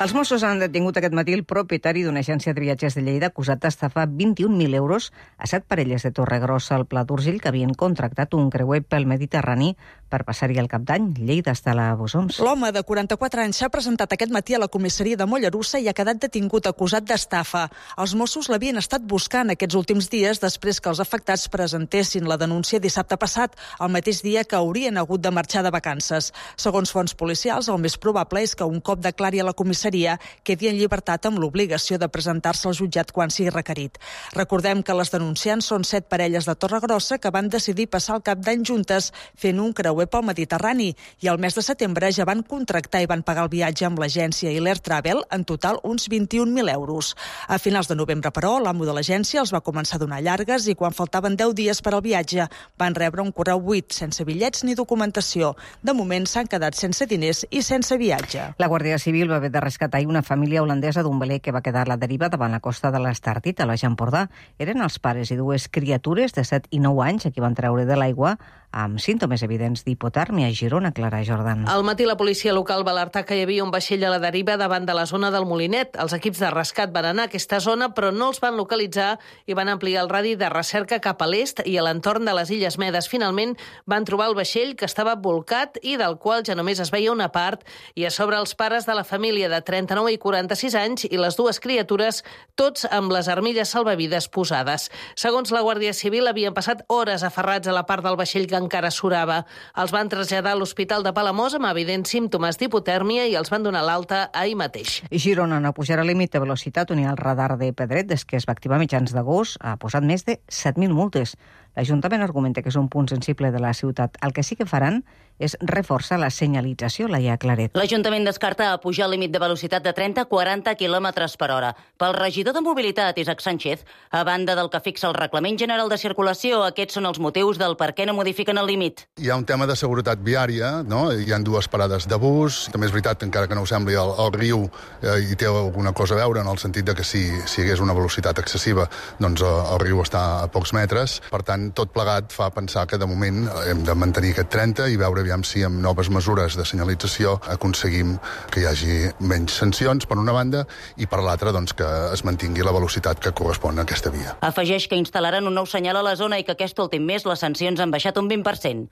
Els Mossos han detingut aquest matí el propietari d'una agència de viatges de Lleida acusat d'estafar 21.000 euros a 7 parelles de Torregrossa al Pla d'Urgell que havien contractat un creuer pel Mediterrani per passar-hi el cap d'any. Lleida està a la Bosons. L'home de 44 anys s'ha presentat aquest matí a la comissaria de Mollerussa i ha quedat detingut acusat d'estafa. Els Mossos l'havien estat buscant aquests últims dies després que els afectats presentessin la denúncia dissabte passat, el mateix dia que haurien hagut de marxar de vacances. Segons fonts policials, el més probable és que un cop declari a la comissaria quedi en llibertat amb l'obligació de presentar-se al jutjat quan sigui requerit. Recordem que les denunciants són 7 parelles de Torregrossa que van decidir passar el cap d'any juntes fent un creuer pel Mediterrani i al mes de setembre ja van contractar i van pagar el viatge amb l'agència i l'Air Travel, en total uns 21.000 euros. A finals de novembre, però, l'amo de l'agència els va començar a donar llargues i quan faltaven 10 dies per al viatge van rebre un correu buit, sense bitllets ni documentació. De moment s'han quedat sense diners i sense viatge. La Guàrdia Civil va haver de rescatar una família holandesa d'un veler que va quedar a la deriva davant la costa de l'Estartit, a la Empordà. Eren els pares i 2 criatures de 7 i 9 anys a qui van treure de l'aigua amb símptomes evidents d'hipotèrmia a Girona. Clara Jordan. Al matí la policia local va alertar que hi havia un vaixell a la deriva davant de la zona del Molinet. Els equips de rescat van anar a aquesta zona, però no els van localitzar i van ampliar el radi de recerca cap a l'est i a l'entorn de les Illes Medes. Finalment van trobar el vaixell que estava bolcat i del qual ja només es veia una part i a sobre els pares de la família de 39 i 46 anys i les 2 criatures, tots amb les armilles salvavides posades. Segons la Guàrdia Civil, havien passat hores aferrats a la part del vaixell que encara surava. Els van traslladar a l'Hospital de Palamós amb evidents símptomes d'hipotèrmia i els van donar l'alta ahir mateix. Girona no pujarà el límit de velocitat on hi ha el radar de Pedret des que es va activar a mitjans d'agost. Ha posat més de 7.000 multes. L'Ajuntament argumenta que és un punt sensible de la ciutat. El que sí que faran és reforçar la senyalització, Laia Claret. L'Ajuntament descarta pujar el límit de velocitat de 30 a 40 km per hora. Pel regidor de Mobilitat, Isaac Sánchez, a banda del que fixa el Reglament General de Circulació, aquests són els motius del per què no modifiquen el límit. Hi ha un tema de seguretat viària, no? Hi ha 2 parades de bus. També és veritat, encara que no ho sembli, el riu hi té alguna cosa a veure, en el sentit de que si hi hagués una velocitat excessiva, doncs el riu està a pocs metres. Per tant, tot plegat fa pensar que de moment hem de mantenir aquest 30 i veure aviam si amb noves mesures de senyalització aconseguim que hi hagi menys sancions, per una banda, i per l'altra, doncs, que es mantingui la velocitat que correspon a aquesta via. Afegeix que instal·laran un nou senyal a la zona i que aquest últim mes les sancions han baixat un 20%.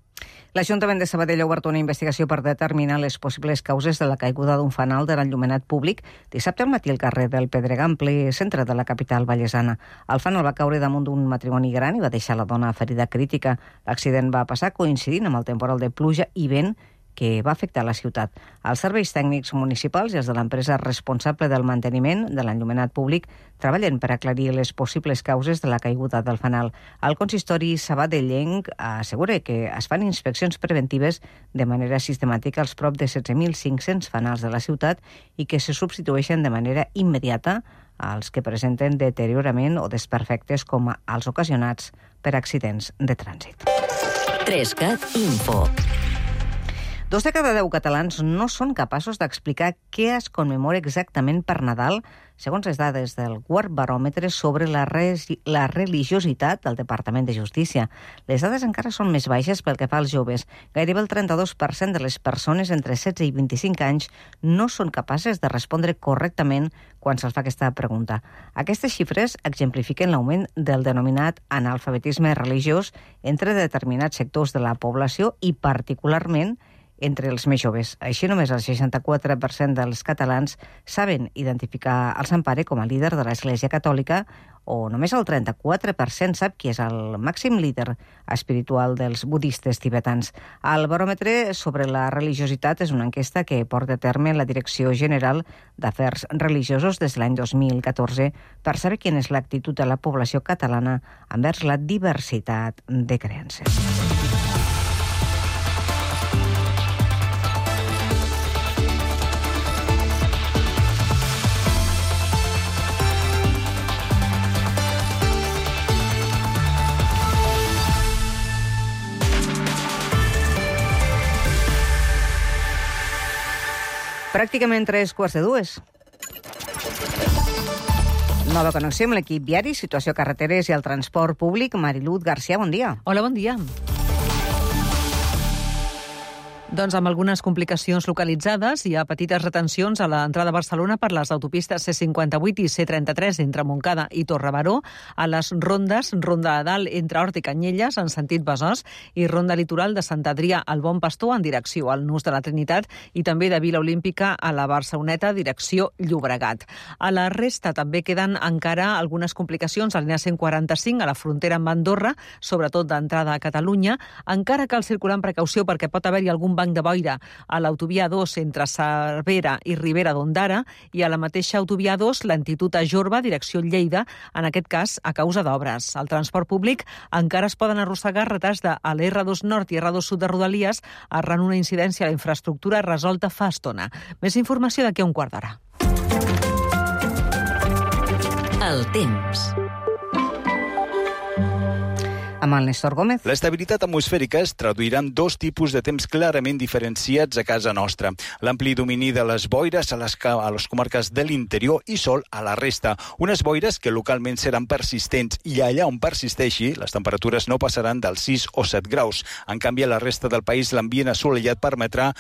L'Ajuntament de Sabadell ha obert una investigació per determinar les possibles causes de la caiguda d'un fanal de l'enllumenat públic dissabte al matí al carrer del Pedregar, en ple centre de la capital vallesana. El fanal va caure damunt d'un matrimoni gran i va deixar la dona ferida crítica. L'accident va passar coincidint amb el temporal de pluja i vent que va afectar la ciutat. Els serveis tècnics municipals i els de l'empresa responsable del manteniment de l'enllumenat públic treballen per aclarir les possibles causes de la caiguda del fanal. El consistori sabadellenc assegura que es fan inspeccions preventives de manera sistemàtica als prop de 16.500 fanals de la ciutat i que se substitueixen de manera immediata als que presenten deteriorament o desperfectes com els ocasionats per accidents de trànsit. 3CAT Info. 2 de cada 10 catalans no són capaços d'explicar què es commemora exactament per Nadal, segons les dades del quart baròmetre sobre la religiositat del Departament de Justícia. Les dades encara són més baixes pel que fa als joves. Gairebé el 32% de les persones entre 16 i 25 anys no són capaces de respondre correctament quan se'ls fa aquesta pregunta. Aquestes xifres exemplifiquen l'augment del denominat analfabetisme religiós entre determinats sectors de la població i particularment entre els més joves. Així, només el 64% dels catalans saben identificar el Sant Pare com a líder de l'Església Catòlica o només el 34% sap qui és el màxim líder espiritual dels budistes tibetans. El baròmetre sobre la religiositat és una enquesta que porta a terme la Direcció General d'Afers Religiosos des de l'any 2014 per saber quina és l'actitud de la població catalana envers la diversitat de creences. Pràcticament 3:15. Nova connexió amb l'equip viari, situació carreteres i el transport públic. Mariluz García, bon dia. Hola, bon dia. Doncs amb algunes complicacions localitzades, hi ha petites retencions a l'entrada a Barcelona per les autopistes C58 i C33 entre Montcada i Torrebaró, a les rondes, Ronda de Dalt entre Hort i Canyelles en sentit Besòs i Ronda Litoral de Sant Adrià al Bon Pastor en direcció al Nus de la Trinitat i també de Vila Olímpica a la Barceloneta direcció Llobregat. A la resta també queden encara algunes complicacions a la línia 145 a la frontera amb Andorra, sobretot d'entrada a Catalunya. Encara cal circular amb precaució perquè pot haver-hi algun banc de boira a l'autovia 2 entre Cervera i Ribera d'Ondara i a la mateixa autovia 2 lentitud a Jorba, direcció Lleida, en aquest cas a causa d'obres. Al transport públic encara es poden arrossegar retards de l'R2 Nord i R2 Sud de Rodalies arran una incidència a la infraestructura resolta fa estona. Més informació d'aquí a un quart d'hora. El temps. Amb el Néstor Gómez. L'estabilitat atmosfèrica es traduirà en 2 tipus de temps clarament diferenciats a casa nostra. L'ampli domini de les boires a les comarques de l'interior i sol a la resta. Unes boires que localment seran persistents i allà on persisteixi, les temperatures no passaran dels 6 o 7 graus. En canvi, a la resta del país, l'ambient assolellat permetrà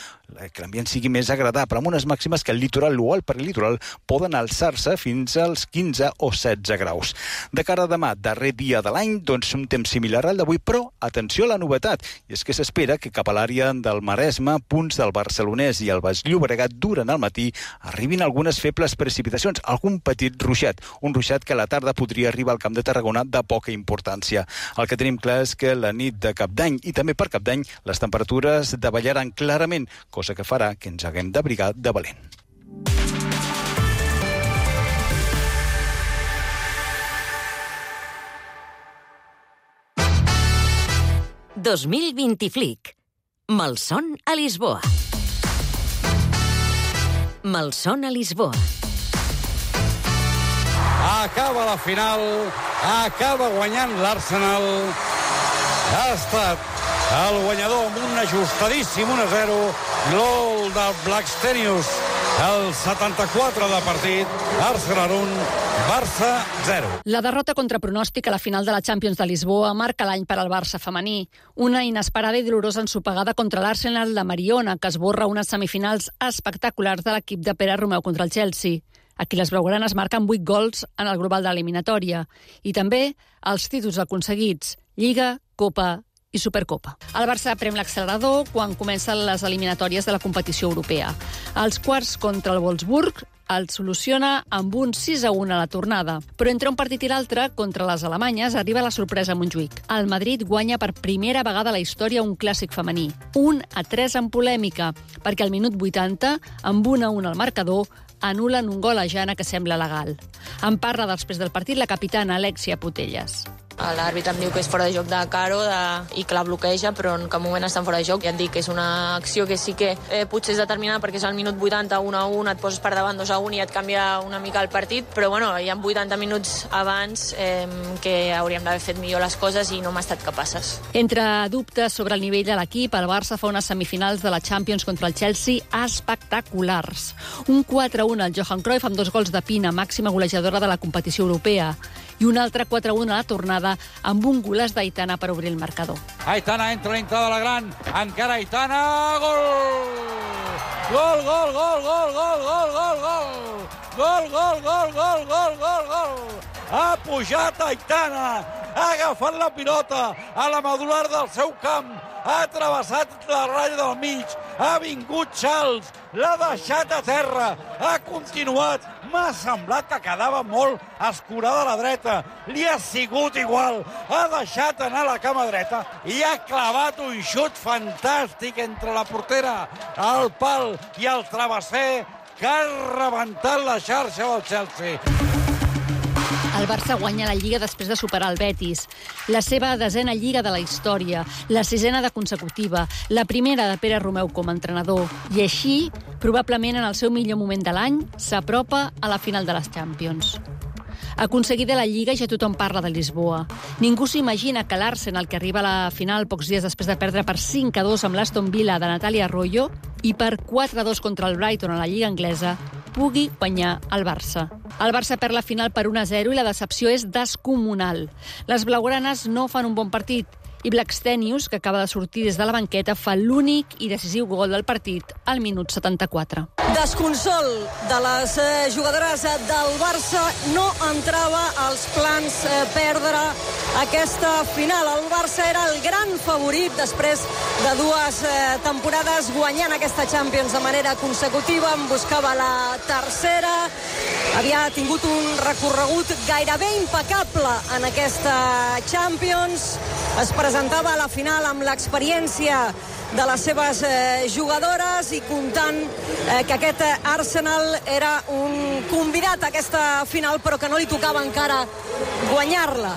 que l'ambient sigui més agradable, amb unes màximes que al litoral o al prelitoral poden alçar-se fins als 15 o 16 graus. De cara a demà, darrer dia de l'any, doncs un temps similar al d'avui, però atenció a la novetat, i és que s'espera que cap a l'àrea del Maresme, punts del Barcelonès i el Baix Llobregat durant el matí arribin algunes febles precipitacions, algun petit ruixat, un ruixat que a la tarda podria arribar al Camp de Tarragona de poca importància. El que tenim clar és que la nit de Cap d'Any i també per Cap d'Any les temperatures davallaran clarament, cosa que farà que ens haguem d'abrigar de valent. ...2020 Flic. Malson a Lisboa. Malson a Lisboa. Acaba la final, acaba guanyant l'Arsenal. Ha estat el guanyador amb un ajustadíssim 1-0, gol de Blackstenius. El 74 de partit, Arsenal 1, Barça 0. La derrota contra pronòstic a la final de la Champions de Lisboa marca l'any per al Barça femení. Una inesperada i dolorosa ensopegada contra l'Arsenal de Mariona, que esborra unes semifinals espectaculars de l'equip de Pere Romeu contra el Chelsea. Aquí les blaugranes marquen 8 gols en el global de l'eliminatòria. I també els títols aconseguits, Lliga, Copa i Supercopa. El Barça prem l'accelerador quan comencen les eliminatòries de la competició europea. Els quarts contra el Wolfsburg el soluciona amb un 6-1 a la tornada. Però entre un partit i l'altre, contra les alemanyes, arriba la sorpresa a Montjuïc. El Madrid guanya per primera vegada a la història un clàssic femení. 1-3 en polèmica, perquè al minut 80, amb 1-1 al marcador, anul·len un gol a Jana que sembla legal. En parla després del partit la capitana Alexia Putellas. L'àrbitre em diu que és fora de joc de Caro i que la bloqueja, però en cap moment estan fora de joc. Ja et dic que és una acció que sí que potser és determinada perquè és al minut 80, 1-1, et poses per davant 2-1 i et canvia una mica el partit, però bueno, hi ha 80 minuts abans que hauríem d'haver fet millor les coses i no hem estat capaces. Entre dubtes sobre el nivell de l'equip, el Barça fa unes semifinals de la Champions contra el Chelsea espectaculars. Un 4-1 al Johan Cruyff amb 2 gols de Pina, màxima golejadora de la competició europea, i un altre 4-1 a la tornada amb un golaç d'Aitana per obrir el marcador. Aitana entra dintre de la gran, encara Aitana, gol! Gol, gol, gol, gol, gol, gol, gol, gol! Gol, gol, gol, gol, gol, gol, gol! Ha pujat Aitana, ha agafat la pilota a la medular del seu camp, ha travessat la ratlla del mig, ha vingut Charles, l'ha deixat a terra, ha continuat, m'ha semblat que quedava molt escurada a la dreta, li ha sigut igual, ha deixat anar la cama dreta i ha clavat un xut fantàstic entre la portera, el pal i el travesser que ha rebentat la xarxa del Chelsea. El Barça guanya la Lliga després de superar el Betis. La seva 10a Lliga de la història, la 6a de consecutiva, la primera de Pere Romeu com a entrenador. I així, probablement en el seu millor moment de l'any, s'apropa a la final de les Champions. Aconseguida la Lliga, ja tothom parla de Lisboa. Ningú s'imagina que l'Arsenal, que arriba a la final pocs dies després de perdre per 5-2 amb l'Aston Villa de Natalia Arroyo i per 4-2 contra el Brighton a la Lliga anglesa, pugui guanyar el Barça. El Barça perd la final per 1-0 i la decepció és descomunal. Les blaugranes no fan un bon partit i Blackstenius, que acaba de sortir des de la banqueta, fa l'únic i decisiu gol del partit al minut 74. Desconsol de les jugadores del Barça, no entrava als plans perdre aquesta final. El Barça era el gran favorit després de 2 temporades guanyant aquesta Champions de manera consecutiva, en buscava la tercera, havia tingut un recorregut gairebé impecable en aquesta Champions, es presentava a la final amb l'experiència de les seves jugadores i comptant que aquest Arsenal era un convidat a aquesta final, però que no li tocava encara guanyar-la.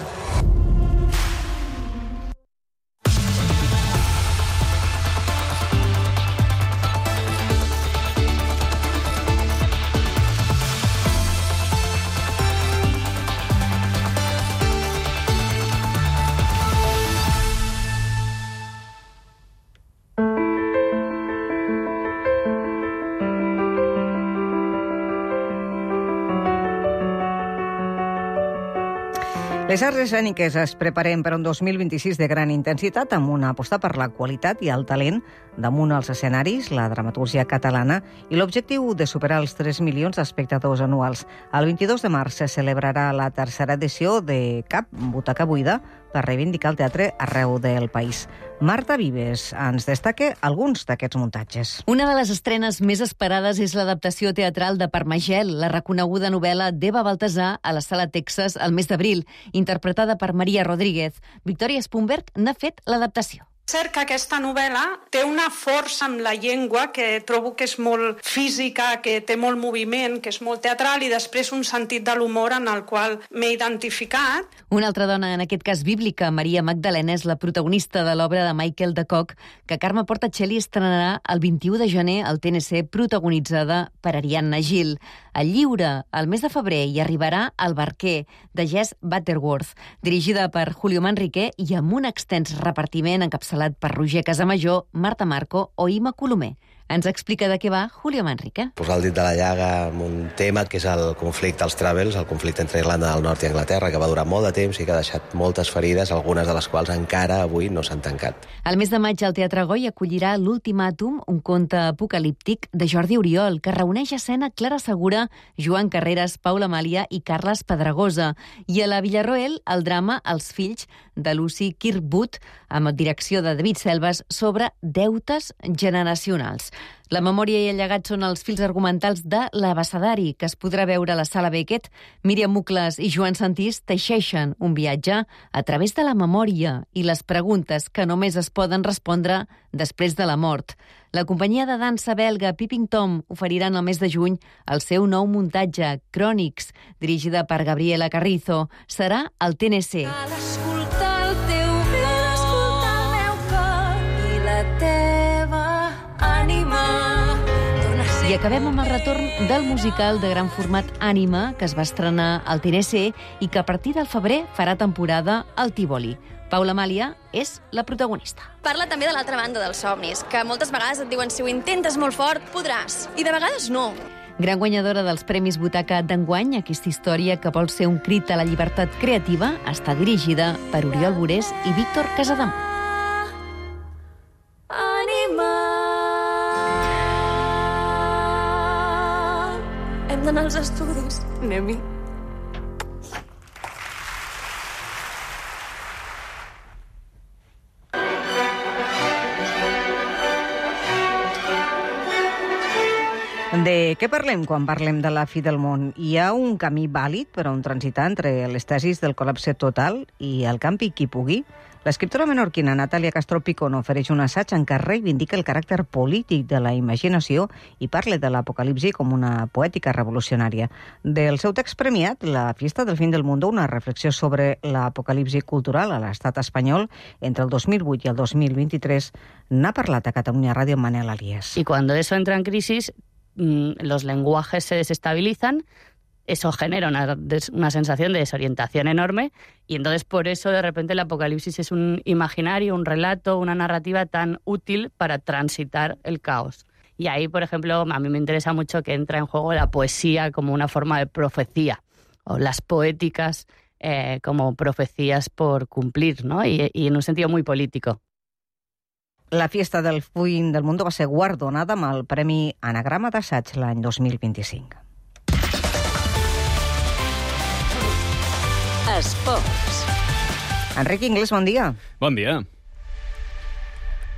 Les arts escèniques es preparen per un 2026 de gran intensitat amb una aposta per la qualitat i el talent damunt els escenaris, la dramatúrgia catalana i l'objectiu de superar els 3 milions d'espectadors anuals. El 22 de març se celebrarà la tercera edició de CAP, Butaca Buida, per reivindicar el teatre arreu del país. Marta Vives ens destaca alguns d'aquests muntatges. Una de les estrenes més esperades és l'adaptació teatral de Parmagel, la reconeguda novel·la d'Eva Baltasar a la Sala Texas el mes d'abril, interpretada per Maria Rodríguez. Victòria Spunberg n'ha fet l'adaptació. Cert que aquesta novel·la té una força amb la llengua que trobo que és molt física, que té molt moviment, que és molt teatral i després un sentit de l'humor en el qual m'he identificat. Una altra dona, en aquest cas bíblica, Maria Magdalena, és la protagonista de l'obra de Michael de Kock, que Carme Portacelli estrenarà el 21 de gener al TNC, protagonitzada per Ariadna Gil. El lliure, el mes de febrer, hi arribarà El barquer, de Jess Butterworth, dirigida per Julio Manrique i amb un extens repartiment encapçalat per Roger Casamajor, Marta Marco o Ima Colomer. Ens explica de què va Julio Manrique. Posar el dit de la llaga amb un tema que és el conflicte als Travels, el conflicte entre Irlanda del Nord i Anglaterra, que va durar molt de temps i que ha deixat moltes ferides, algunes de les quals encara avui no s'han tancat. El mes de maig el Teatre Goi acollirà L'Ultimàtum, un conte apocalíptic de Jordi Oriol, que reuneix a escena Clara Segura, Joan Carreras, Paula Amàlia i Carles Pedregosa. I a la Villarroel, el drama Els fills, de Lucy Kirkwood, amb direcció de David Selves, sobre deutes generacionals. La memòria i el llegat són els fils argumentals de L'Abecedari, que es podrà veure a la Sala Beckett. Míriam Mucles i Joan Santís teixeixen un viatge a través de la memòria i les preguntes que només es poden respondre després de la mort. La companyia de dansa belga Peeping Tom oferirà en el mes de juny el seu nou muntatge, Crònics, dirigida per Gabriela Carrizo. Serà al TNC. I acabem amb el retorn del musical de gran format Ànima, que es va estrenar al TNC i que a partir del febrer farà temporada al Tívoli. Paula Amàlia és la protagonista. Parla també de l'altra banda dels somnis, que moltes vegades et diuen si ho intentes molt fort, podràs. I de vegades no. Gran guanyadora dels Premis Butaca d'enguany, aquesta història que vol ser un crit a la llibertat creativa està dirigida per Oriol Borés i Víctor Casademont. Ànima. Hem d'anar als estudis, anem-hi. De què parlem quan parlem de la fi del món? Hi ha un camí vàlid per a un transitar entre les tesis del col·lapse total i el campi qui pugui? L'escriptora menorquina Natàlia Castro Picón ofereix un assaig en què reivindica el caràcter polític de la imaginació i parla de l'apocalipsi com una poètica revolucionària. Del seu text premiat, La fiesta del fin del mundo, una reflexió sobre l'apocalipsi cultural a l'estat espanyol entre el 2008 i el 2023, n'ha parlat a Catalunya Ràdio Manel Aliés. Y cuando eso entra en crisis, los lenguajes se desestabilizan, eso genera una sensación de desorientación enorme y entonces por eso de repente el apocalipsis es un imaginario, un relato, una narrativa tan útil para transitar el caos. Y ahí, por ejemplo, a mí me interesa mucho que entra en juego la poesía como una forma de profecía o las poéticas como profecías por cumplir, ¿no? Y en un sentido muy político. La fiesta del fin del mundo va ser guardonada amb el Premi Anagrama d'Assaig l'any 2025. Esports. Enric Inglés, bon dia. Bon dia.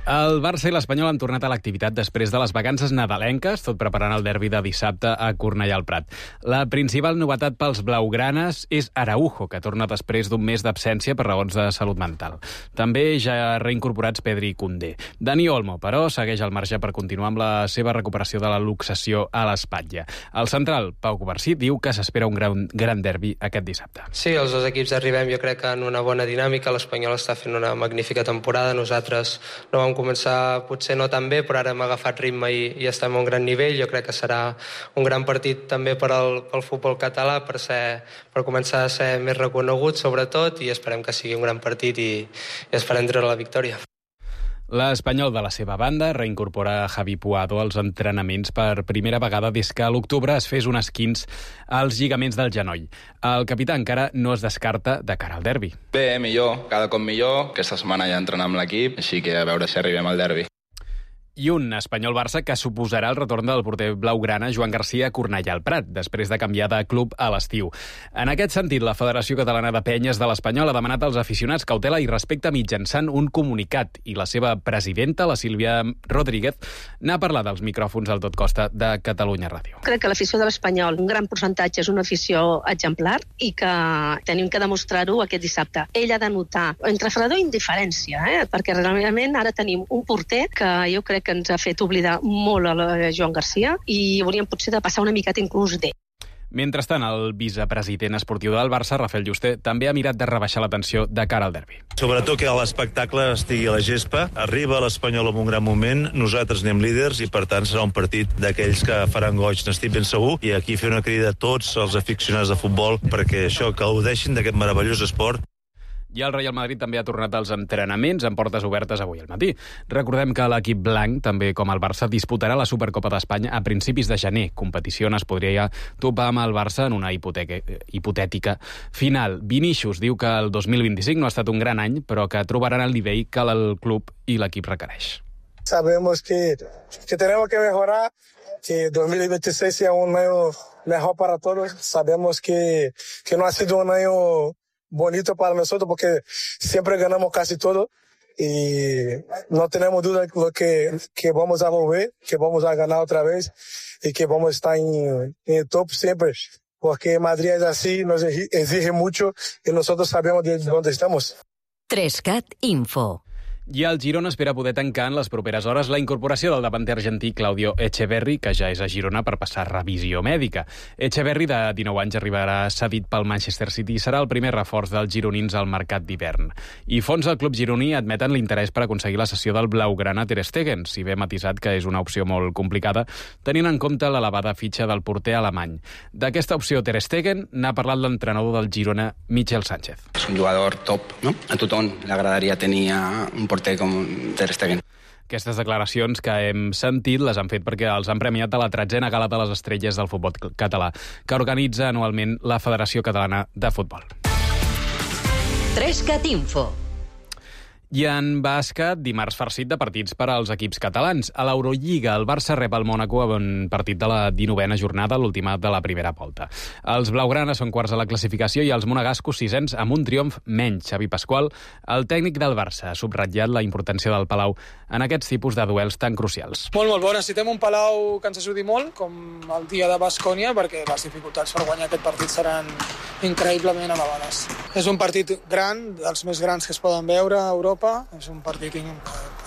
El Barça i l'Espanyol han tornat a l'activitat després de les vacances nadalenques, tot preparant el derbi de dissabte a Cornellà al Prat. La principal novetat pels blaugranes és Araujo, que torna després d'un mes d'absència per raons de salut mental. També ja ha reincorporats Pedri i Koundé. Dani Olmo, però, segueix al marge per continuar amb la seva recuperació de la luxació a l'espatlla. El central, Pau Covarsí, diu que s'espera un gran derbi aquest dissabte. Sí, els dos equips arribem, jo crec, en una bona dinàmica. L'Espanyol està fent una magnífica temporada. Nosaltres no vam començar potser no tan bé, però ara hem agafat ritme i estem a un gran nivell. Jo crec que serà un gran partit també per al futbol català, per començar a ser més reconegut, sobretot, i esperem que sigui un gran partit i esperem treure la victòria. L'Espanyol, de la seva banda, reincorpora Javi Puado als entrenaments per primera vegada des que a l'octubre es fes un esquinç als lligaments del genoll. El capità encara no es descarta de cara al derbi. Bé, millor, cada cop millor. Aquesta setmana ja entrenar amb l'equip, així que a veure si arribem al derbi. I un Espanyol-Barça que suposarà el retorn del porter blaugrana Joan Garcia a Cornellà al Prat, després de canviar de club a l'estiu. En aquest sentit, la Federació Catalana de Penyes de l'Espanyol ha demanat als aficionats cautela i respecte mitjançant un comunicat, i la seva presidenta, la Sílvia Rodríguez, n'ha parlat als micròfons al Tot Costa de Catalunya Ràdio. Crec que l'afició de l'Espanyol, un gran percentatge, és una afició exemplar i que tenim que demostrar-ho aquest dissabte. Ell ha de notar entre fredor i indiferència, perquè realment ara tenim un porter que jo crec que ens ha fet oblidar molt a Joan Garcia i hauríem potser de passar una miqueta inclús d'ell. Mentrestant, el vicepresident esportiu del Barça, Rafael Yuste, també ha mirat de rebaixar la tensió de cara al derbi. Sobretot que l'espectacle estigui a la gespa, arriba l'Espanyol en un gran moment, nosaltres anem líders i per tant serà un partit d'aquells que faran goig, n'estic ben segur, i aquí fer una crida a tots els aficionats de futbol perquè això que gaudeixin d'aquest meravellós esport. I el Real Madrid també ha tornat als entrenaments amb portes obertes avui al matí. Recordem que l'equip blanc, també com el Barça, disputarà la Supercopa d'Espanya a principis de gener, competició on es podria topar amb el Barça en una hipotètica final. Vinícius diu que el 2025 no ha estat un gran any, però que trobaran el nivell que el club i l'equip requereix. Sabemos que tenemos que mejorar, que 2026 sea un año mejor para todos. Sabemos que no ha sido un año bonito para nosotros porque siempre ganamos casi todo y no tenemos duda que vamos a volver, que vamos a ganar otra vez y que vamos a estar en el top siempre, porque Madrid es así, nos exige mucho y nosotros sabemos de dónde estamos. 3CAT Info. I el Girona espera poder tancar en les properes hores la incorporació del davanter argentí Claudio Echeverri, que ja és a Girona per passar revisió mèdica. Echeverri, de 19 anys, arribarà cedit pel Manchester City i serà el primer reforç dels gironins al mercat d'hivern. I fons del club gironí admeten l'interès per aconseguir la cessió del blaugrana Ter Stegen, si bé matisat que és una opció molt complicada, tenint en compte l'elevada fitxa del porter alemany. D'aquesta opció Ter Stegen n'ha parlat l'entrenador del Girona, Michel Sánchez. És un jugador top, no? A tothom li agradaria tenir un porter com Ter Stegen. Aquestes declaracions que hem sentit les han fet perquè els han premiat a la 13a Gala de les Estrelles del futbol català, que organitza anualment la Federació Catalana de Futbol. 3cat Info. I en bàsquet, dimarts farcit de partits per als equips catalans. A l'Eurolliga, el Barça rep el Mònaco a un partit de la 19a jornada, l'última de la primera volta. Els blaugranes són quarts a la classificació i els monegascos sisens amb un triomf menys. Xavi Pasqual, el tècnic del Barça, ha subratllat la importància del Palau en aquests tipus de duels tan crucials. Molt bo. Necessitem un Palau que ens ajudi molt, com el dia de Baskònia, perquè les dificultats per guanyar aquest partit seran increïblement elevades. És un partit gran, dels més grans que es poden veure a Europa. És un partit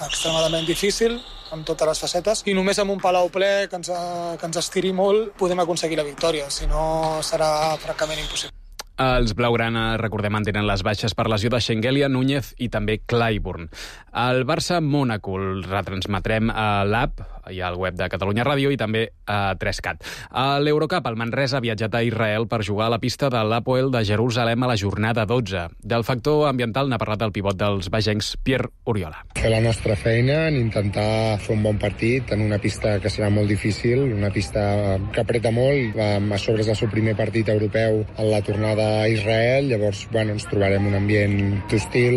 extremadament difícil, amb totes les facetes, i només amb un Palau ple que ens estiri molt podem aconseguir la victòria, si no serà francament impossible. Els blaugrana, recordem, mantenen les baixes per lesió de Schengelia, Núñez i també Clyburn. El Barça-Mònaco el retransmetrem a l'app i al web de Catalunya Ràdio i també a 3cat. A l'Eurocup, el Manresa ha viatjat a Israel per jugar a la pista de l'Hapoel de Jerusalem a la jornada 12. Del factor ambiental n'ha parlat el pivot dels bagencs, Pierre Oriola. Fer la nostra feina, en intentar fer un bon partit en una pista que serà molt difícil, una pista que apreta molt. A sobre és el seu primer partit europeu en la tornada a Israel, llavors ens trobarem un ambient hostil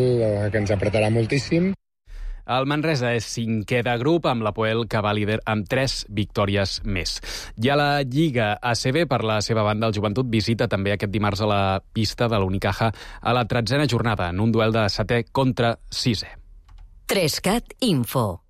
que ens apretarà moltíssim. El Manresa és 5è de grup, amb l'Hapoel que va líder amb 3 victòries més. I a la Lliga ACB, per la seva banda, el Joventut visita també aquest dimarts a la pista de l'Unicaja a la 13a jornada, en un duel de 7è contra 6è. 3cat Info.